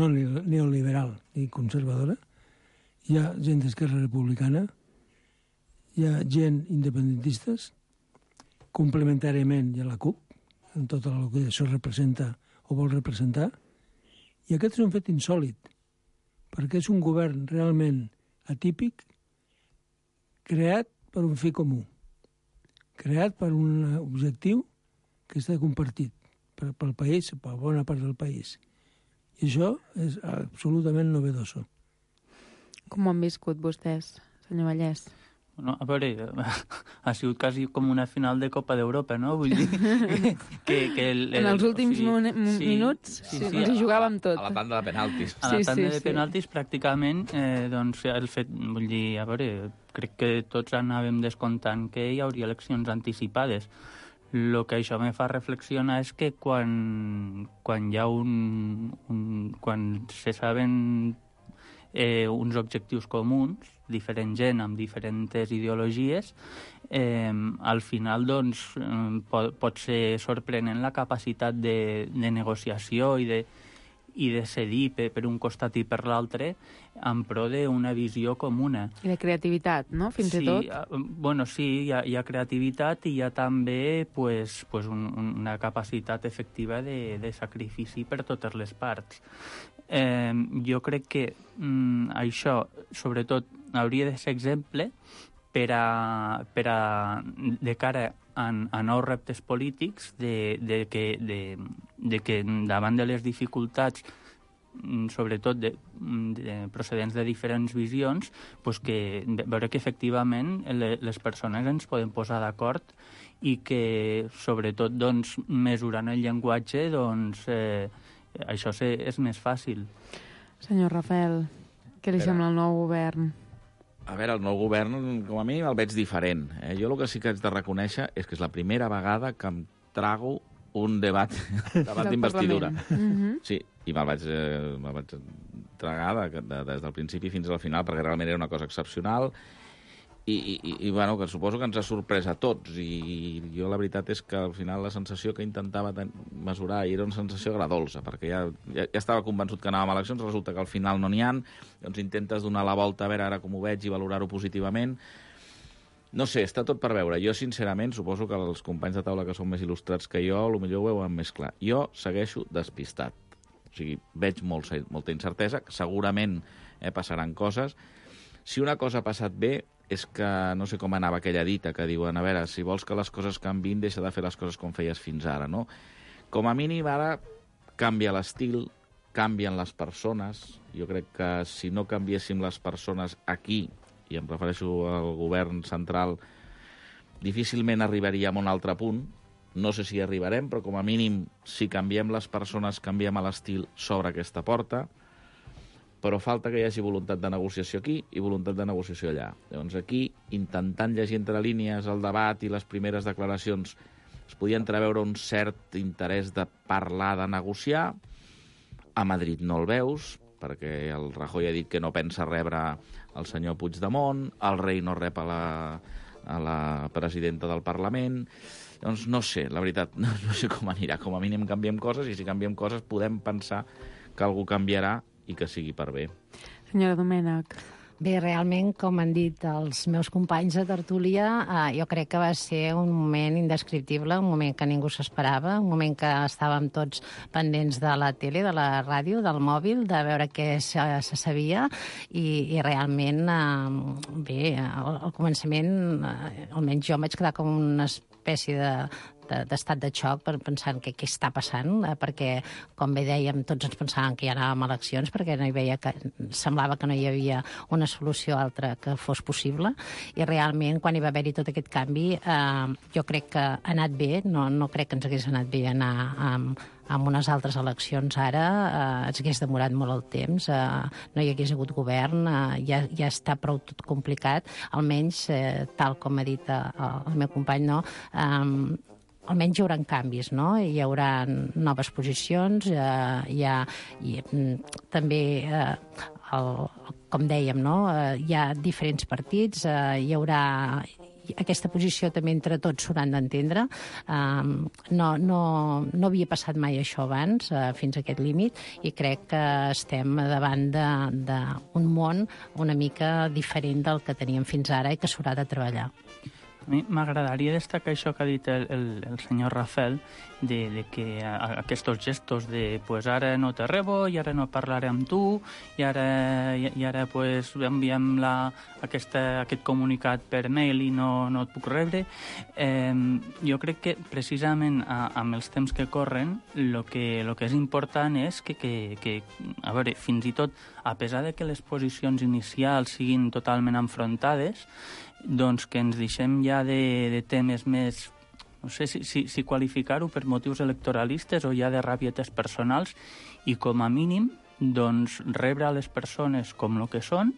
no neoliberal ni conservadora, hi ha gent d'Esquerra Republicana, hi ha gent independentistes, complementàriament hi ha la CUP, en tot el que això representa o vol representar, i aquest és un fet insòlid, perquè és un govern realment atípic, creat per un fi comú, creat per un objectiu que està compartit per, pel país, per bona part del país. I això és absolutament novedoso. Com ho han viscut vostès, senyor Vallès? No, a veure, ha sigut quasi com una final de Copa d'Europa, no? Vull dir que... que el, el, en els últims o sigui, sí, minuts sí, sí, sí, ens hi jugàvem tot. A la tanda de penaltis. A la sí, tanda sí, de penaltis, sí. Pràcticament, eh, doncs, el fet, vull dir, a veure, crec que tots anàvem descomptant que hi hauria eleccions anticipades. El que això me fa reflexionar és que quan, quan hi ha un... un quan se saben eh, uns objectius comuns, diferent gent amb diferents ideologies, eh, al final doncs, pot, pot ser sorprenent la capacitat de, de negociació i de, i de cedir per, per un costat i per l'altre en pro d'una visió comuna. I de creativitat, no?, fins sí, i tot. Bueno, sí, hi ha, hi ha creativitat i hi ha també pues, pues un, una capacitat efectiva de, de sacrifici per totes les parts. Eh, jo crec que mm, això, sobretot, hauria de ser exemple per a, per a de cara a, a nous reptes polítics de, de, que, de, de que davant de les dificultats sobretot de, de procedents de diferents visions, pues que veure que efectivament les persones ens podem posar d'acord i que, sobretot, doncs, mesurant el llenguatge, doncs, eh, això és més fàcil. Senyor Rafael, què li sembla el nou govern? A veure, el nou govern, com a mínim, el veig diferent. Eh? Jo el que sí que haig de reconèixer és que és la primera vegada que em trago un debat, debat d'investidura. Mm-hmm. Sí, i me'l vaig, eh, me vaig tragar de, de, des del principi fins al final, perquè realment era una cosa excepcional i, i, i bueno, que suposo que ens ha sorprès a tots. I jo la veritat és que al final la sensació que intentava mesurar era una sensació agradolça, perquè ja, ja, ja estava convençut que anàvem a eleccions, resulta que al final no n'hi ha, doncs intentes donar la volta a veure ara com ho veig i valorar-ho positivament. No sé, està tot per veure. Jo, sincerament, suposo que els companys de taula que són més il·lustrats que jo, potser ho veuen més clar. Jo segueixo despistat. O sigui, veig molt, molta incertesa, segurament eh, passaran coses. Si una cosa ha passat bé és que, no sé com anava aquella dita que diuen, a veure, si vols que les coses canvin, deixa de fer les coses com feies fins ara, no? Com a mínim, ara canvia l'estil, canvien les persones. Jo crec que si no canviéssim les persones aquí, i em refereixo al govern central, difícilment arribaríem a un altre punt. No sé si hi arribarem, però com a mínim, si canviem les persones, canviem l'estil sobre aquesta porta, però falta que hi hagi voluntat de negociació aquí i voluntat de negociació allà. Llavors aquí, intentant llegir entre línies el debat i les primeres declaracions, es podia entreveure un cert interès de parlar, de negociar. A Madrid no el veus, perquè el Rajoy ha dit que no pensa rebre el senyor Puigdemont, el rei no rep a la, a la presidenta del Parlament. Doncs no sé, la veritat, no, no sé com anirà. Com a mínim canviem coses, i si canviem coses podem pensar que algú canviarà i que sigui per bé. Senyora Domènech. Bé, realment, com han dit els meus companys de tertúlia, eh, jo crec que va ser un moment indescriptible, un moment que ningú s'esperava, un moment que estàvem tots pendents de la tele, de la ràdio, del mòbil, de veure què se, se sabia, i, i realment, eh, bé, al, al començament, eh, almenys jo em vaig quedar com una espècie de d'estat de xoc per pensar què, què està passant, eh, perquè, com bé dèiem, tots ens pensàvem que ja anàvem a eleccions, perquè no hi veia que, semblava que no hi havia una solució altra que fos possible, i realment, quan hi va haver-hi tot aquest canvi, eh, jo crec que ha anat bé, no, no crec que ens hagués anat bé anar amb, amb unes altres eleccions ara, eh, ens hagués demorat molt el temps, eh, no hi hagués hagut govern, eh, ja, ja està prou tot complicat, almenys, eh, tal com ha dit eh, el meu company, no?, eh, almenys hi haurà canvis, no? Hi haurà noves posicions, eh, hi ha i, també, eh, el, com dèiem, no? Eh, hi ha diferents partits, eh, hi haurà aquesta posició també entre tots s'hauran d'entendre. Um, no, no, no havia passat mai això abans, uh, fins a aquest límit, i crec que estem davant d'un món una mica diferent del que teníem fins ara i que s'haurà de treballar. A mi m'agradaria destacar això que ha dit el, el, el senyor Rafael, de, de que a, aquests gestos de pues ara no te rebo, i ara no parlaré amb tu, i ara, i, i ara pues, enviem la, aquesta, aquest comunicat per mail i no, no et puc rebre. Eh, jo crec que precisament a, amb els temps que corren, el que, lo que és important és que, que, que, a veure, fins i tot, a pesar de que les posicions inicials siguin totalment enfrontades, doncs que ens deixem ja de, de temes més, no sé si, si, si qualificar-ho per motius electoralistes o ja de ràbietes personals, i com a mínim doncs rebre a les persones com el que són,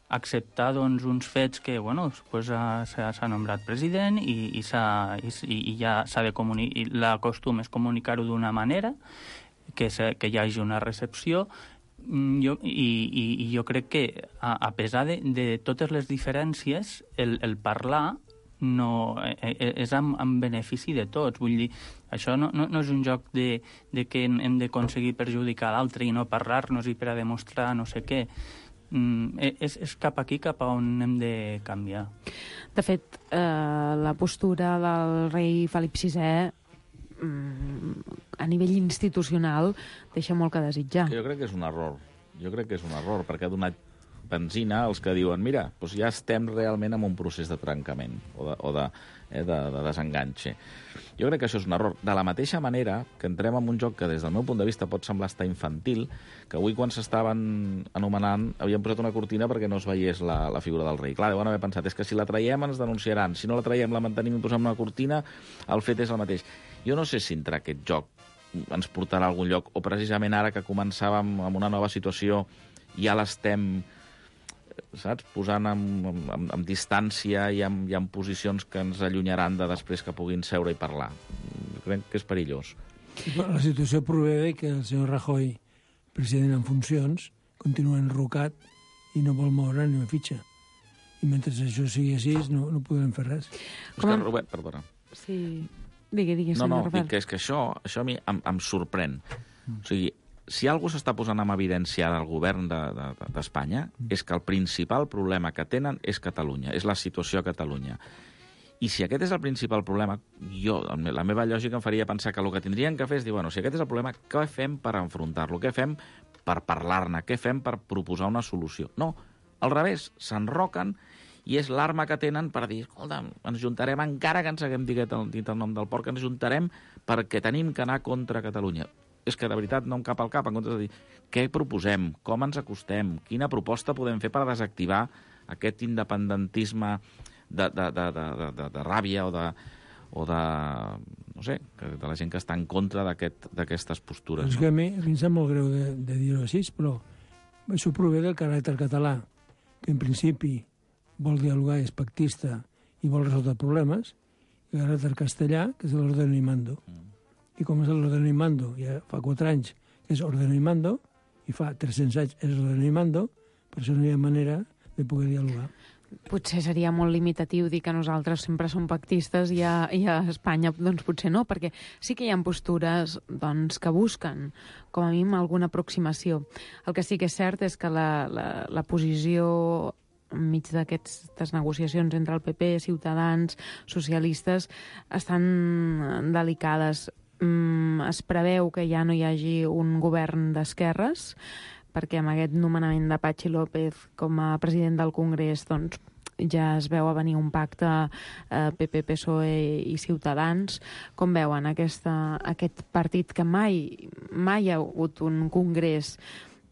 acceptar doncs, uns fets que bueno, pues, s'ha nombrat president i, i, i, i ja s'ha de comunicar, la costum és comunicar-ho d'una manera, que, que hi hagi una recepció. Jo, i, i, i jo crec que a, a pesar de, de totes les diferències, el, el parlar no, és en, en benefici de tots. Vull dir, això no, no, no és un joc de, de que hem d'aconseguir perjudicar l'altre i no parlar-nos i per a demostrar no sé què. Mm, és, és cap aquí cap a on hem de canviar. De fet, eh, la postura del rei Felip sisè a nivell institucional deixa molt que desitjar. Jo crec que és un error. Jo crec que és un error, perquè ha donat benzina els que diuen mira, doncs ja estem realment en un procés de trencament o de, o de, eh, de, de desenganxe. Jo crec que això és un error. De la mateixa manera que entrem en un joc que des del meu punt de vista pot semblar estar infantil, que avui quan s'estaven anomenant havien posat una cortina perquè no es veiés la, la figura del rei. Clar, deuen haver pensat, és que si la traiem ens denunciaran, si no la traiem, la mantenim i posem una cortina, el fet és el mateix. Jo no sé si entrar aquest joc ens portarà a algun lloc, o precisament ara que començàvem amb una nova situació ja l'estem, saps, posant en, en, en distància i en, i en posicions que ens allunyaran de després que puguin seure i parlar. Crec que és perillós. La situació prové de que el senyor Rajoy, president en funcions, continua enrocat i no vol moure ni una fitxa. I mentre això sigui així, no, no podem fer res. És que, Robert, perdona. Sí... Digui, digui, no, no, senyor dic que és que això, això a mi em, em sorprèn. Mm. O sigui, si algú s'està posant en evidència al govern d'Espanya de, de, mm. és que el principal problema que tenen és Catalunya, és la situació a Catalunya. I si aquest és el principal problema, jo, la meva lògica em faria pensar que el que tindrien que fer és dir, bueno, si aquest és el problema, què fem per enfrontar-lo? Què fem per parlar-ne? Què fem per proposar una solució? No, al revés, s'enroquen i és l'arma que tenen per dir, escolta, ens juntarem, encara que ens haguem dit el, dit el nom del porc, ens juntarem perquè tenim que anar contra Catalunya. És que, de veritat, no em cap al cap, en comptes de dir què proposem, com ens acostem, quina proposta podem fer per desactivar aquest independentisme de, de, de, de, de, de, de ràbia o de, o de, no sé, de la gent que està en contra d'aquestes postures. És no? que a mi, a mi em sap molt greu de, de dir-ho així, però això prové del caràcter català, que en principi vol dialogar, és pactista i vol resoldre problemes, i el caràcter castellà, que és l'ordeno y mando. Mm. I com és l'ordeno y mando? Ja fa quatre anys que és ordeno y mando, i fa tres-cents anys és ordeno y mando, per això no hi ha manera de poder dialogar. Potser seria molt limitatiu dir que nosaltres sempre som pactistes i a, i a Espanya doncs potser no, perquè sí que hi ha postures doncs, que busquen, com a mínim, alguna aproximació. El que sí que és cert és que la, la, la posició enmig d'aquestes negociacions entre el P P, Ciutadans, socialistes, estan delicades. Mm, es preveu que ja no hi hagi un govern d'esquerres, perquè amb aquest nomenament de Patxi López com a president del Congrés doncs, ja es veu a venir un pacte eh, P P, P S O E i Ciutadans. Com veuen aquesta, aquest partit que mai, mai hi ha hagut un congrés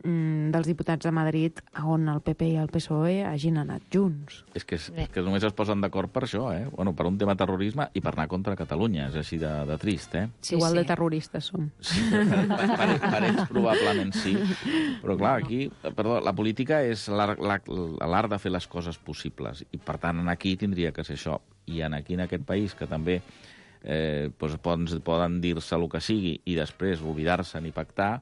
mm, dels diputats de Madrid on el P P i el P S O E hagin anat junts? És que, és, que només es posen d'acord per això, eh? Bueno, per un tema terrorisme i per anar contra Catalunya. És així de, de trist, eh? Sí, Igual sí. de terroristes som. Sí, per, per, per ells probablement sí. Però clar, aquí, perdó, la política és l'art de fer les coses possibles. I per tant, aquí tindria que ser això. I en aquí, en aquest país, que també eh, doncs poden, poden dir-se el que sigui i després oblidar-se ni pactar,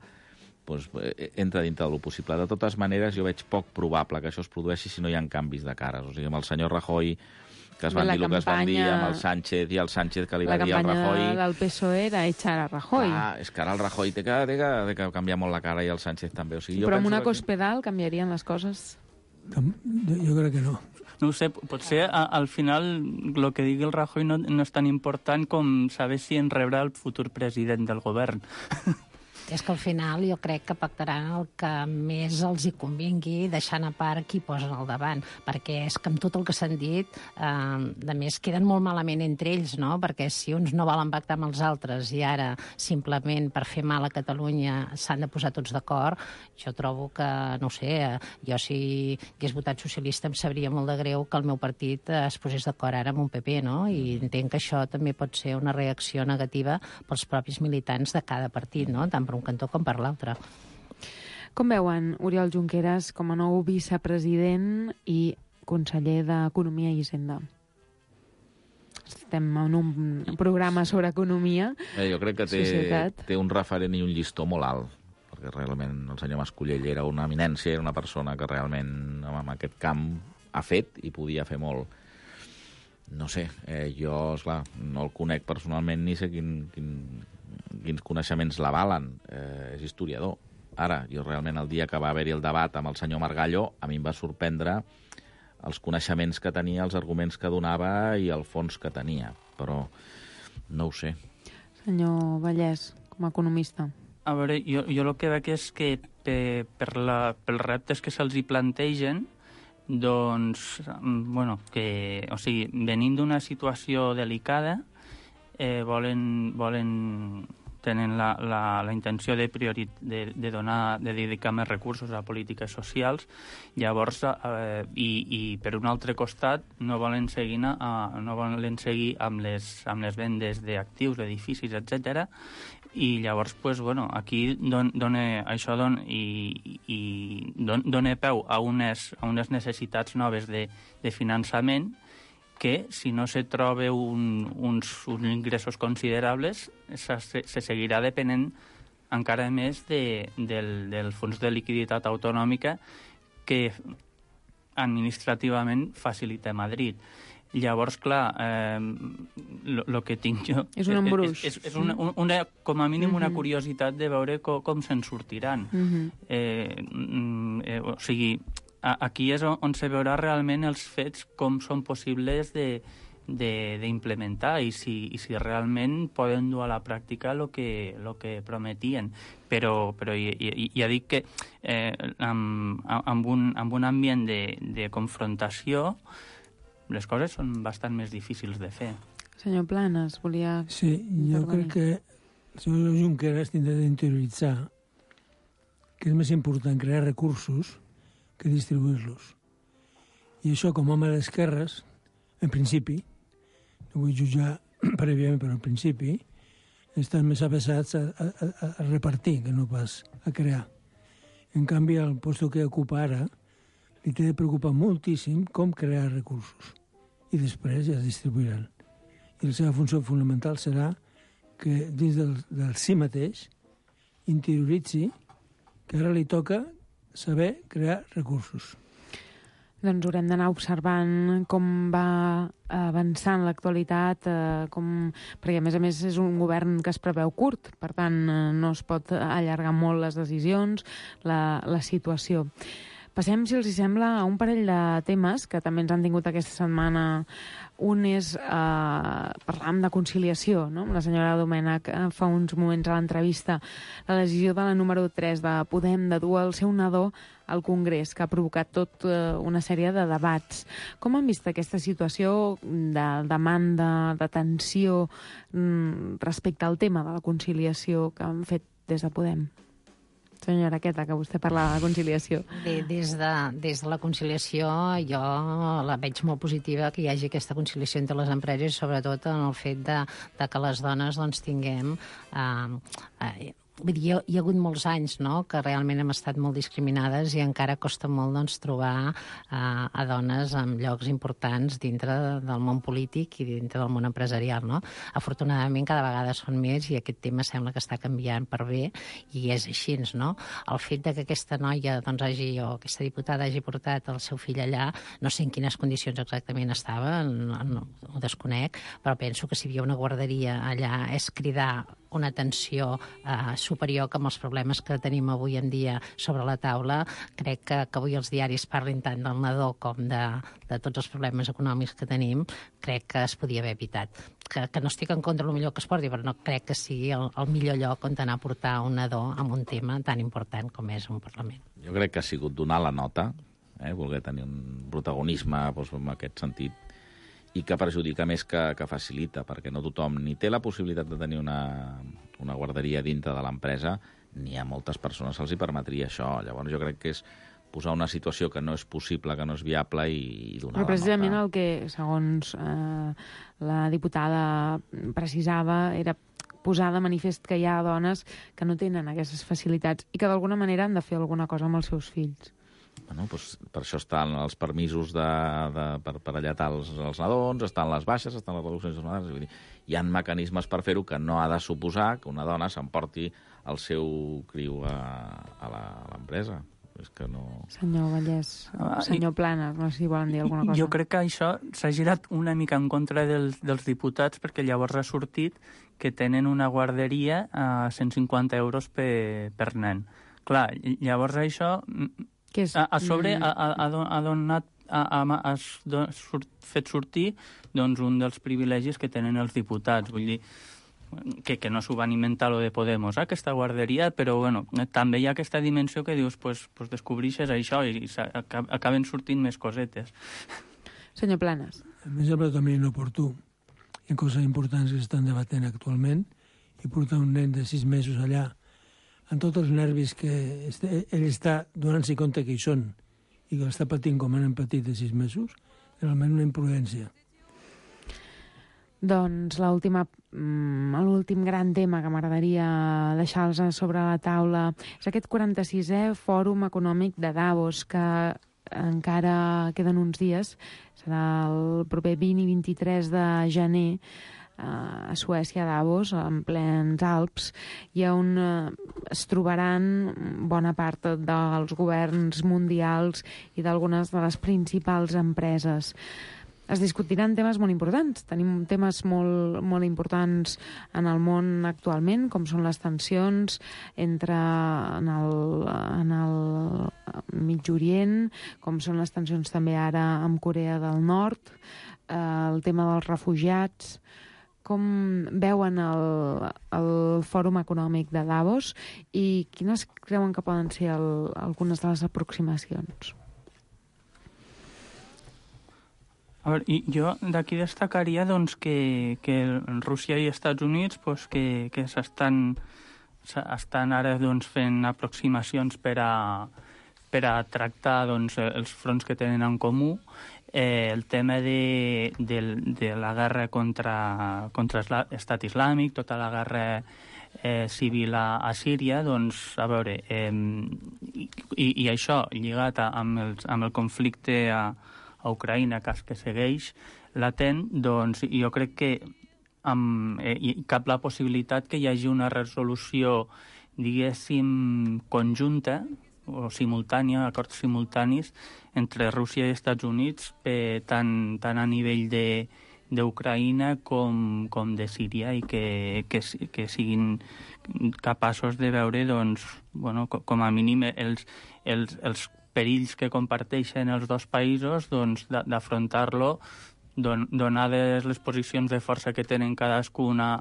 doncs, entra dintre del possible. De totes maneres, jo veig poc probable que això es produeixi si no hi ha canvis de cares. O sigui, amb el senyor Rajoy, que es van dir el que es van dir, amb el Sánchez i el Sánchez que li va dir al Rajoy... La campanya del P S O E era echar a Rajoy. Ah, és que ara el Rajoy té que, té que, té que canviar molt la cara i el Sánchez també. O sigui, jo Però amb una que... cospedal canviarien les coses? Jo crec que no. No ho sé, potser a, al final el que digui el Rajoy no, no és tan important com saber si en rebrà el futur president del govern. És que al final jo crec que pactaran el que més els hi convingui, deixant a part qui posen al davant, perquè és que amb tot el que s'han dit, eh, de més queden molt malament entre ells, no? Perquè si uns no volen pactar amb els altres i ara simplement per fer mal a Catalunya s'han de posar tots d'acord, jo trobo que, no sé, jo si hagués votat socialista em sabria molt de greu que el meu partit es posés d'acord ara amb un P P, no? I entenc que això també pot ser una reacció negativa pels propis militants de cada partit, no? Tant per un cantó com per l'altre. Com veuen Oriol Junqueras com a nou vicepresident i conseller d'Economia i Hisenda? Estem en un programa sobre economia. Eh, jo crec que té, té un referent i un llistó molt alt, perquè realment el senyor Mascolell era una eminència, era una persona que realment en aquest camp ha fet i podia fer molt. No sé, eh, jo, esclar, no el conec personalment ni sé quin, quin, quins coneixements l'avalen. Eh, és historiador. Ara, jo realment el dia que va haver-hi el debat amb el senyor Margallo, a mi em va sorprendre els coneixements que tenia, els arguments que donava i el fons que tenia. Però no ho sé. Senyor Vallès, com a economista. A veure, jo, jo el que veig és que per, per la, pels reptes que se'ls hi plantegen, doncs, bueno, que, o sigui, venint d'una situació delicada, eh, volen, volen, tenen la, la, la intenció de, priori, de, de, donar, de dedicar més recursos a polítiques socials, llavors, eh, i, i per un altre costat, no volen seguir, a, no volen seguir amb, les, amb les vendes d'actius, d'edificis, etcètera. I llavors, pues, bueno, aquí don, dona, això don, i, i don, dona peu a unes, a unes necessitats noves de, de finançament que, si no se troba un, uns, uns ingressos considerables, se, se seguirà depenent encara més de, del, del fons de liquiditat autonòmica que administrativament facilita Madrid. Llavors, clar, el eh, que tinc jo... És un embruix. És, és, és una, una, com a mínim una curiositat de veure com, com se'n sortiran. Uh-huh. eh, eh, o sigui, a, aquí és on, on se veurà realment els fets com són possibles de d'implementar i, si, i si realment poden dur a la pràctica el que, lo que prometien. Però, però ja, ja dic que eh, amb, amb, un, amb un ambient de, de confrontació les coses són bastant més difícils de fer. Senyor Planes, volia... Sí, jo crec que el senyor Junqueras tindrà d'interioritzar que és més important crear recursos que distribuir-los. I això, com a home d'esquerres, en principi, no vull jutjar prèviament, però en principi, estan més avesats a, a, a repartir que no pas a crear. En canvi, el lloc que ocupa ara li té de preocupar moltíssim com crear recursos. I després ja es distribuiran. I la seva funció fonamental serà que dins del, del si mateix interioritzi que ara li toca saber crear recursos. Doncs haurem d'anar observant com va avançant l'actualitat, eh, com... perquè a més a més és un govern que es preveu curt, per tant eh, no es pot allargar molt les decisions, la, la situació. Passem, si els hi sembla, a un parell de temes que també ens han tingut aquesta setmana. Un és, eh, parlàvem de conciliació, no? La senyora Domènech eh, fa uns moments a l'entrevista, la decisió de la número tres de Podem de dur el seu nadó al Congrés, que ha provocat tot eh, una sèrie de debats. Com han vist aquesta situació de demanda, de tensió mm, respecte al tema de la conciliació que han fet des de Podem? Senyora Queta, que vostè parlava de conciliació. Bé, des de, des de la conciliació jo la veig molt positiva que hi hagi aquesta conciliació entre les empreses, sobretot en el fet de, de que les dones doncs, tinguem... Eh, eh, Vull dir, hi ha hagut molts anys, no?, que realment hem estat molt discriminades i encara costa molt, doncs, trobar eh, a dones en llocs importants dintre del món polític i dintre del món empresarial, no? Afortunadament, cada vegada són més i aquest tema sembla que està canviant per bé i és així, no? El fet de que aquesta noia, doncs, hagi, o aquesta diputada hagi portat el seu fill allà, no sé en quines condicions exactament estava, no, no, ho desconec, però penso que si hi havia una guarderia allà és cridar una atenció eh, superior que amb els problemes que tenim avui en dia sobre la taula. Crec que, que avui els diaris parlin tant del nadó com de, de tots els problemes econòmics que tenim, crec que es podia haver evitat. Que, que no estic en contra del millor que es porti, però no crec que sigui el, el millor lloc on anar a portar un nadó amb un tema tan important com és un Parlament. Jo crec que ha sigut donar la nota, eh, voler tenir un protagonisme doncs, en aquest sentit, i que perjudica més que, que facilita, perquè no tothom ni té la possibilitat de tenir una, una guarderia dintre de l'empresa, ni a moltes persones se'ls hi permetria això. Llavors jo crec que és posar una situació que no és possible, que no és viable i, i donar la nota. Però precisament el que, segons eh, la diputada precisava, era posar de manifest que hi ha dones que no tenen aquestes facilitats i que d'alguna manera han de fer alguna cosa amb els seus fills. Bueno, doncs per això estan els permisos de, de, per, per allatar els, els nadons, estan les baixes, estan les reduccions jornalades. Vull dir, hi ha mecanismes per fer-ho que no ha de suposar que una dona s'emporti el seu criu a, a l'empresa. És que no... Senyor Vallès, senyor Planes, no sé si volen dir alguna cosa. Jo crec que això s'ha girat una mica en contra dels, dels diputats perquè llavors ha sortit que tenen una guarderia a cent cinquanta euros per, per nen. Clar, llavors això... Que és... a, a sobre ha, ha, ha donat ha, ha, ha surt, fet sortir doncs, un dels privilegis que tenen els diputats. Vull dir, que, que no s'ho van inventar lo de Podemos, eh, aquesta guarderia, però bueno, també hi ha aquesta dimensió que dius, pues, pues descobreixes això i, i acaben sortint més cosetes. Senyor Planes. A mi sembla també inoportú. Hi ha coses importants que s'estan debatent actualment i portar un nen de sis mesos allà amb tots els nervis que ell està donant-s'hi compte que hi són i que l'està patint com han patit de sis mesos, realment una imprudència. Doncs l'última, l'últim gran tema que m'agradaria deixar-los sobre la taula és aquest quaranta-sisè Fòrum Econòmic de Davos, que encara queden uns dies, serà el proper vint i vint-i-tres de gener, a Suècia, a Davos, en plens Alps, i on es trobaran bona part dels governs mundials i d'algunes de les principals empreses. Es discutiran temes molt importants. Tenim temes molt, molt importants en el món actualment, com són les tensions entre en el, en el Mig Orient, com són les tensions també ara amb Corea del Nord, eh, el tema dels refugiats. Com veuen el, el Fòrum Econòmic de Davos i quines creuen que poden ser el, algunes de les aproximacions? A veure, jo d'aquí destacaria doncs, que, que Rússia i Estats Units pues, que, que s'estan estan ara doncs, fent aproximacions per a, per a tractar doncs, els fronts que tenen en comú. Eh, el tema de, de, de la guerra contra, contra l'Estat Islàmic, tota la guerra eh, civil a, a Síria, doncs, a veure, eh, i, i això lligat a, amb, el, amb el conflicte a a Ucraïna, cas que segueix latent, doncs jo crec que amb, eh, hi cap la possibilitat que hi hagi una resolució, diguéssim, conjunta o simultània, acords simultanis entre Rússia i Estats Units, eh, tant, tant a nivell de d'Ucraïna com, com de Síria i que, que, que siguin capaços de veure, doncs, bueno, com a mínim els, els, els perills que comparteixen els dos països, doncs, d'afrontar-lo, don, donades les posicions de força que tenen cadascuna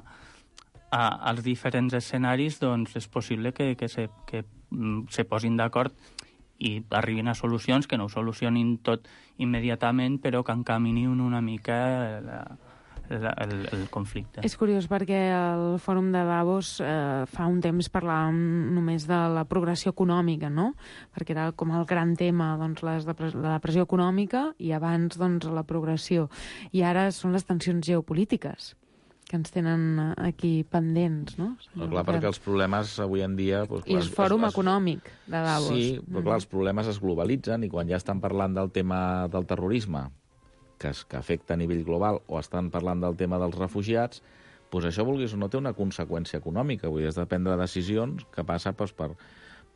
a, als diferents escenaris, doncs és possible que, que, se, que se posin d'acord i arribin a solucions que no ho solucionin tot immediatament, però que encaminin una mica la, la, el, el conflicte. És curiós perquè el Fòrum de Davos eh, fa un temps parlàvem només de la progressió econòmica, no? Perquè era com el gran tema, doncs, les de, la depressió econòmica i abans doncs, la progressió. I ara són les tensions geopolítiques que ens tenen aquí pendents, no? No, clar, perquè els problemes avui en dia... Doncs, I el Fòrum es, Econòmic de Davos. Sí, però clar, els problemes es globalitzen i quan ja estan parlant del tema del terrorisme, que, es, que afecta a nivell global, o estan parlant del tema dels refugiats, doncs això, vulguis o no, té una conseqüència econòmica. Vull dir, has de prendre decisions que passa doncs, per,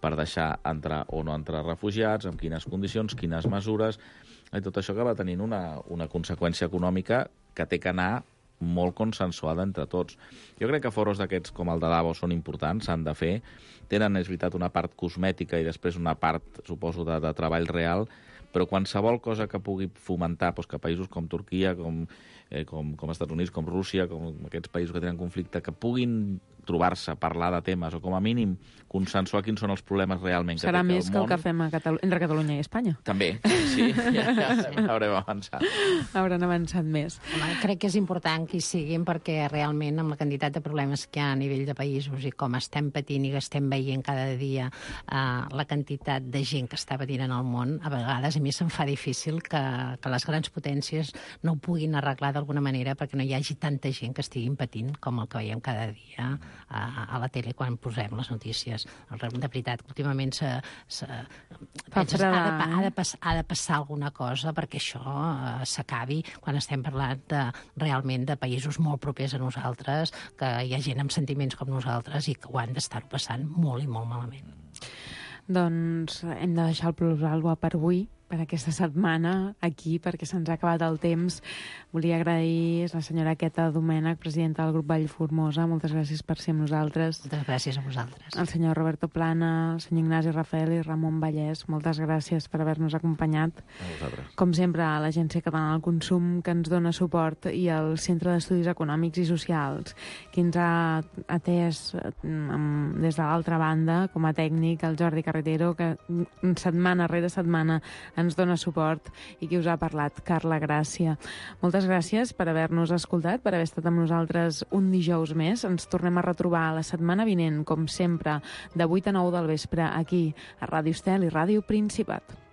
per deixar entrar o no entrar refugiats, amb quines condicions, quines mesures, i tot això acaba tenint una, una conseqüència econòmica que té que anar molt consensuada entre tots. Jo crec que foros d'aquests com el de Davos són importants, s'han de fer. Tenen, és veritat, una part cosmètica i després una part, suposo, de, de treball real, però qualsevol cosa que pugui fomentar doncs, que països com Turquia, com, eh, com, com Estats Units, com Rússia, com aquests països que tenen conflicte, que puguin trobar-se, parlar de temes, o com a mínim consensuar quins són els problemes realment que serà té més el que món. el que fem a Catalu entre Catalunya i Espanya. També, sí, ja, ja haurem avançat. Hauran avançat més. Home, crec que és important que hi siguin perquè realment amb la quantitat de problemes que hi ha a nivell de països i com estem patint i que estem veient cada dia eh, la quantitat de gent que està patint en el món, a vegades a mi se'm fa difícil que, que les grans potències no ho puguin arreglar d'alguna manera perquè no hi hagi tanta gent que estiguin patint com el que veiem cada dia a, a la tele quan posem les notícies. De veritat, últimament se, se, penses, ha, de, ha, de pas, ha de passar alguna cosa perquè això eh, s'acabi quan estem parlant de, realment de països molt propers a nosaltres, que hi ha gent amb sentiments com nosaltres i que ho han d'estar passant molt i molt malament. Doncs hem de deixar el Plusvalua per avui, per aquesta setmana aquí, perquè se'ns ha acabat el temps. Volia agrair a la senyora Queta Domènech, presidenta del grup Vallformosa. Moltes gràcies per ser amb nosaltres. Moltes gràcies a vosaltres. El senyor Roberto Plana, el senyor Ignasi Rafael i Ramon Vallès, moltes gràcies per haver-nos acompanyat. A vosaltres. Com sempre, a l'Agència Catalana del Consum, que ens dona suport, i al Centre d'Estudis Econòmics i Socials, qui ens ha atès des de l'altra banda, com a tècnic, el Jordi Carretero, que setmana rere setmana ens dona suport, i qui us ha parlat, Carla Gràcia. Moltes gràcies per haver-nos escoltat, per haver estat amb nosaltres un dijous més. Ens tornem a retrobar la setmana vinent, com sempre, de vuit a nou del vespre, aquí, a Ràdio Estel i Ràdio Principat.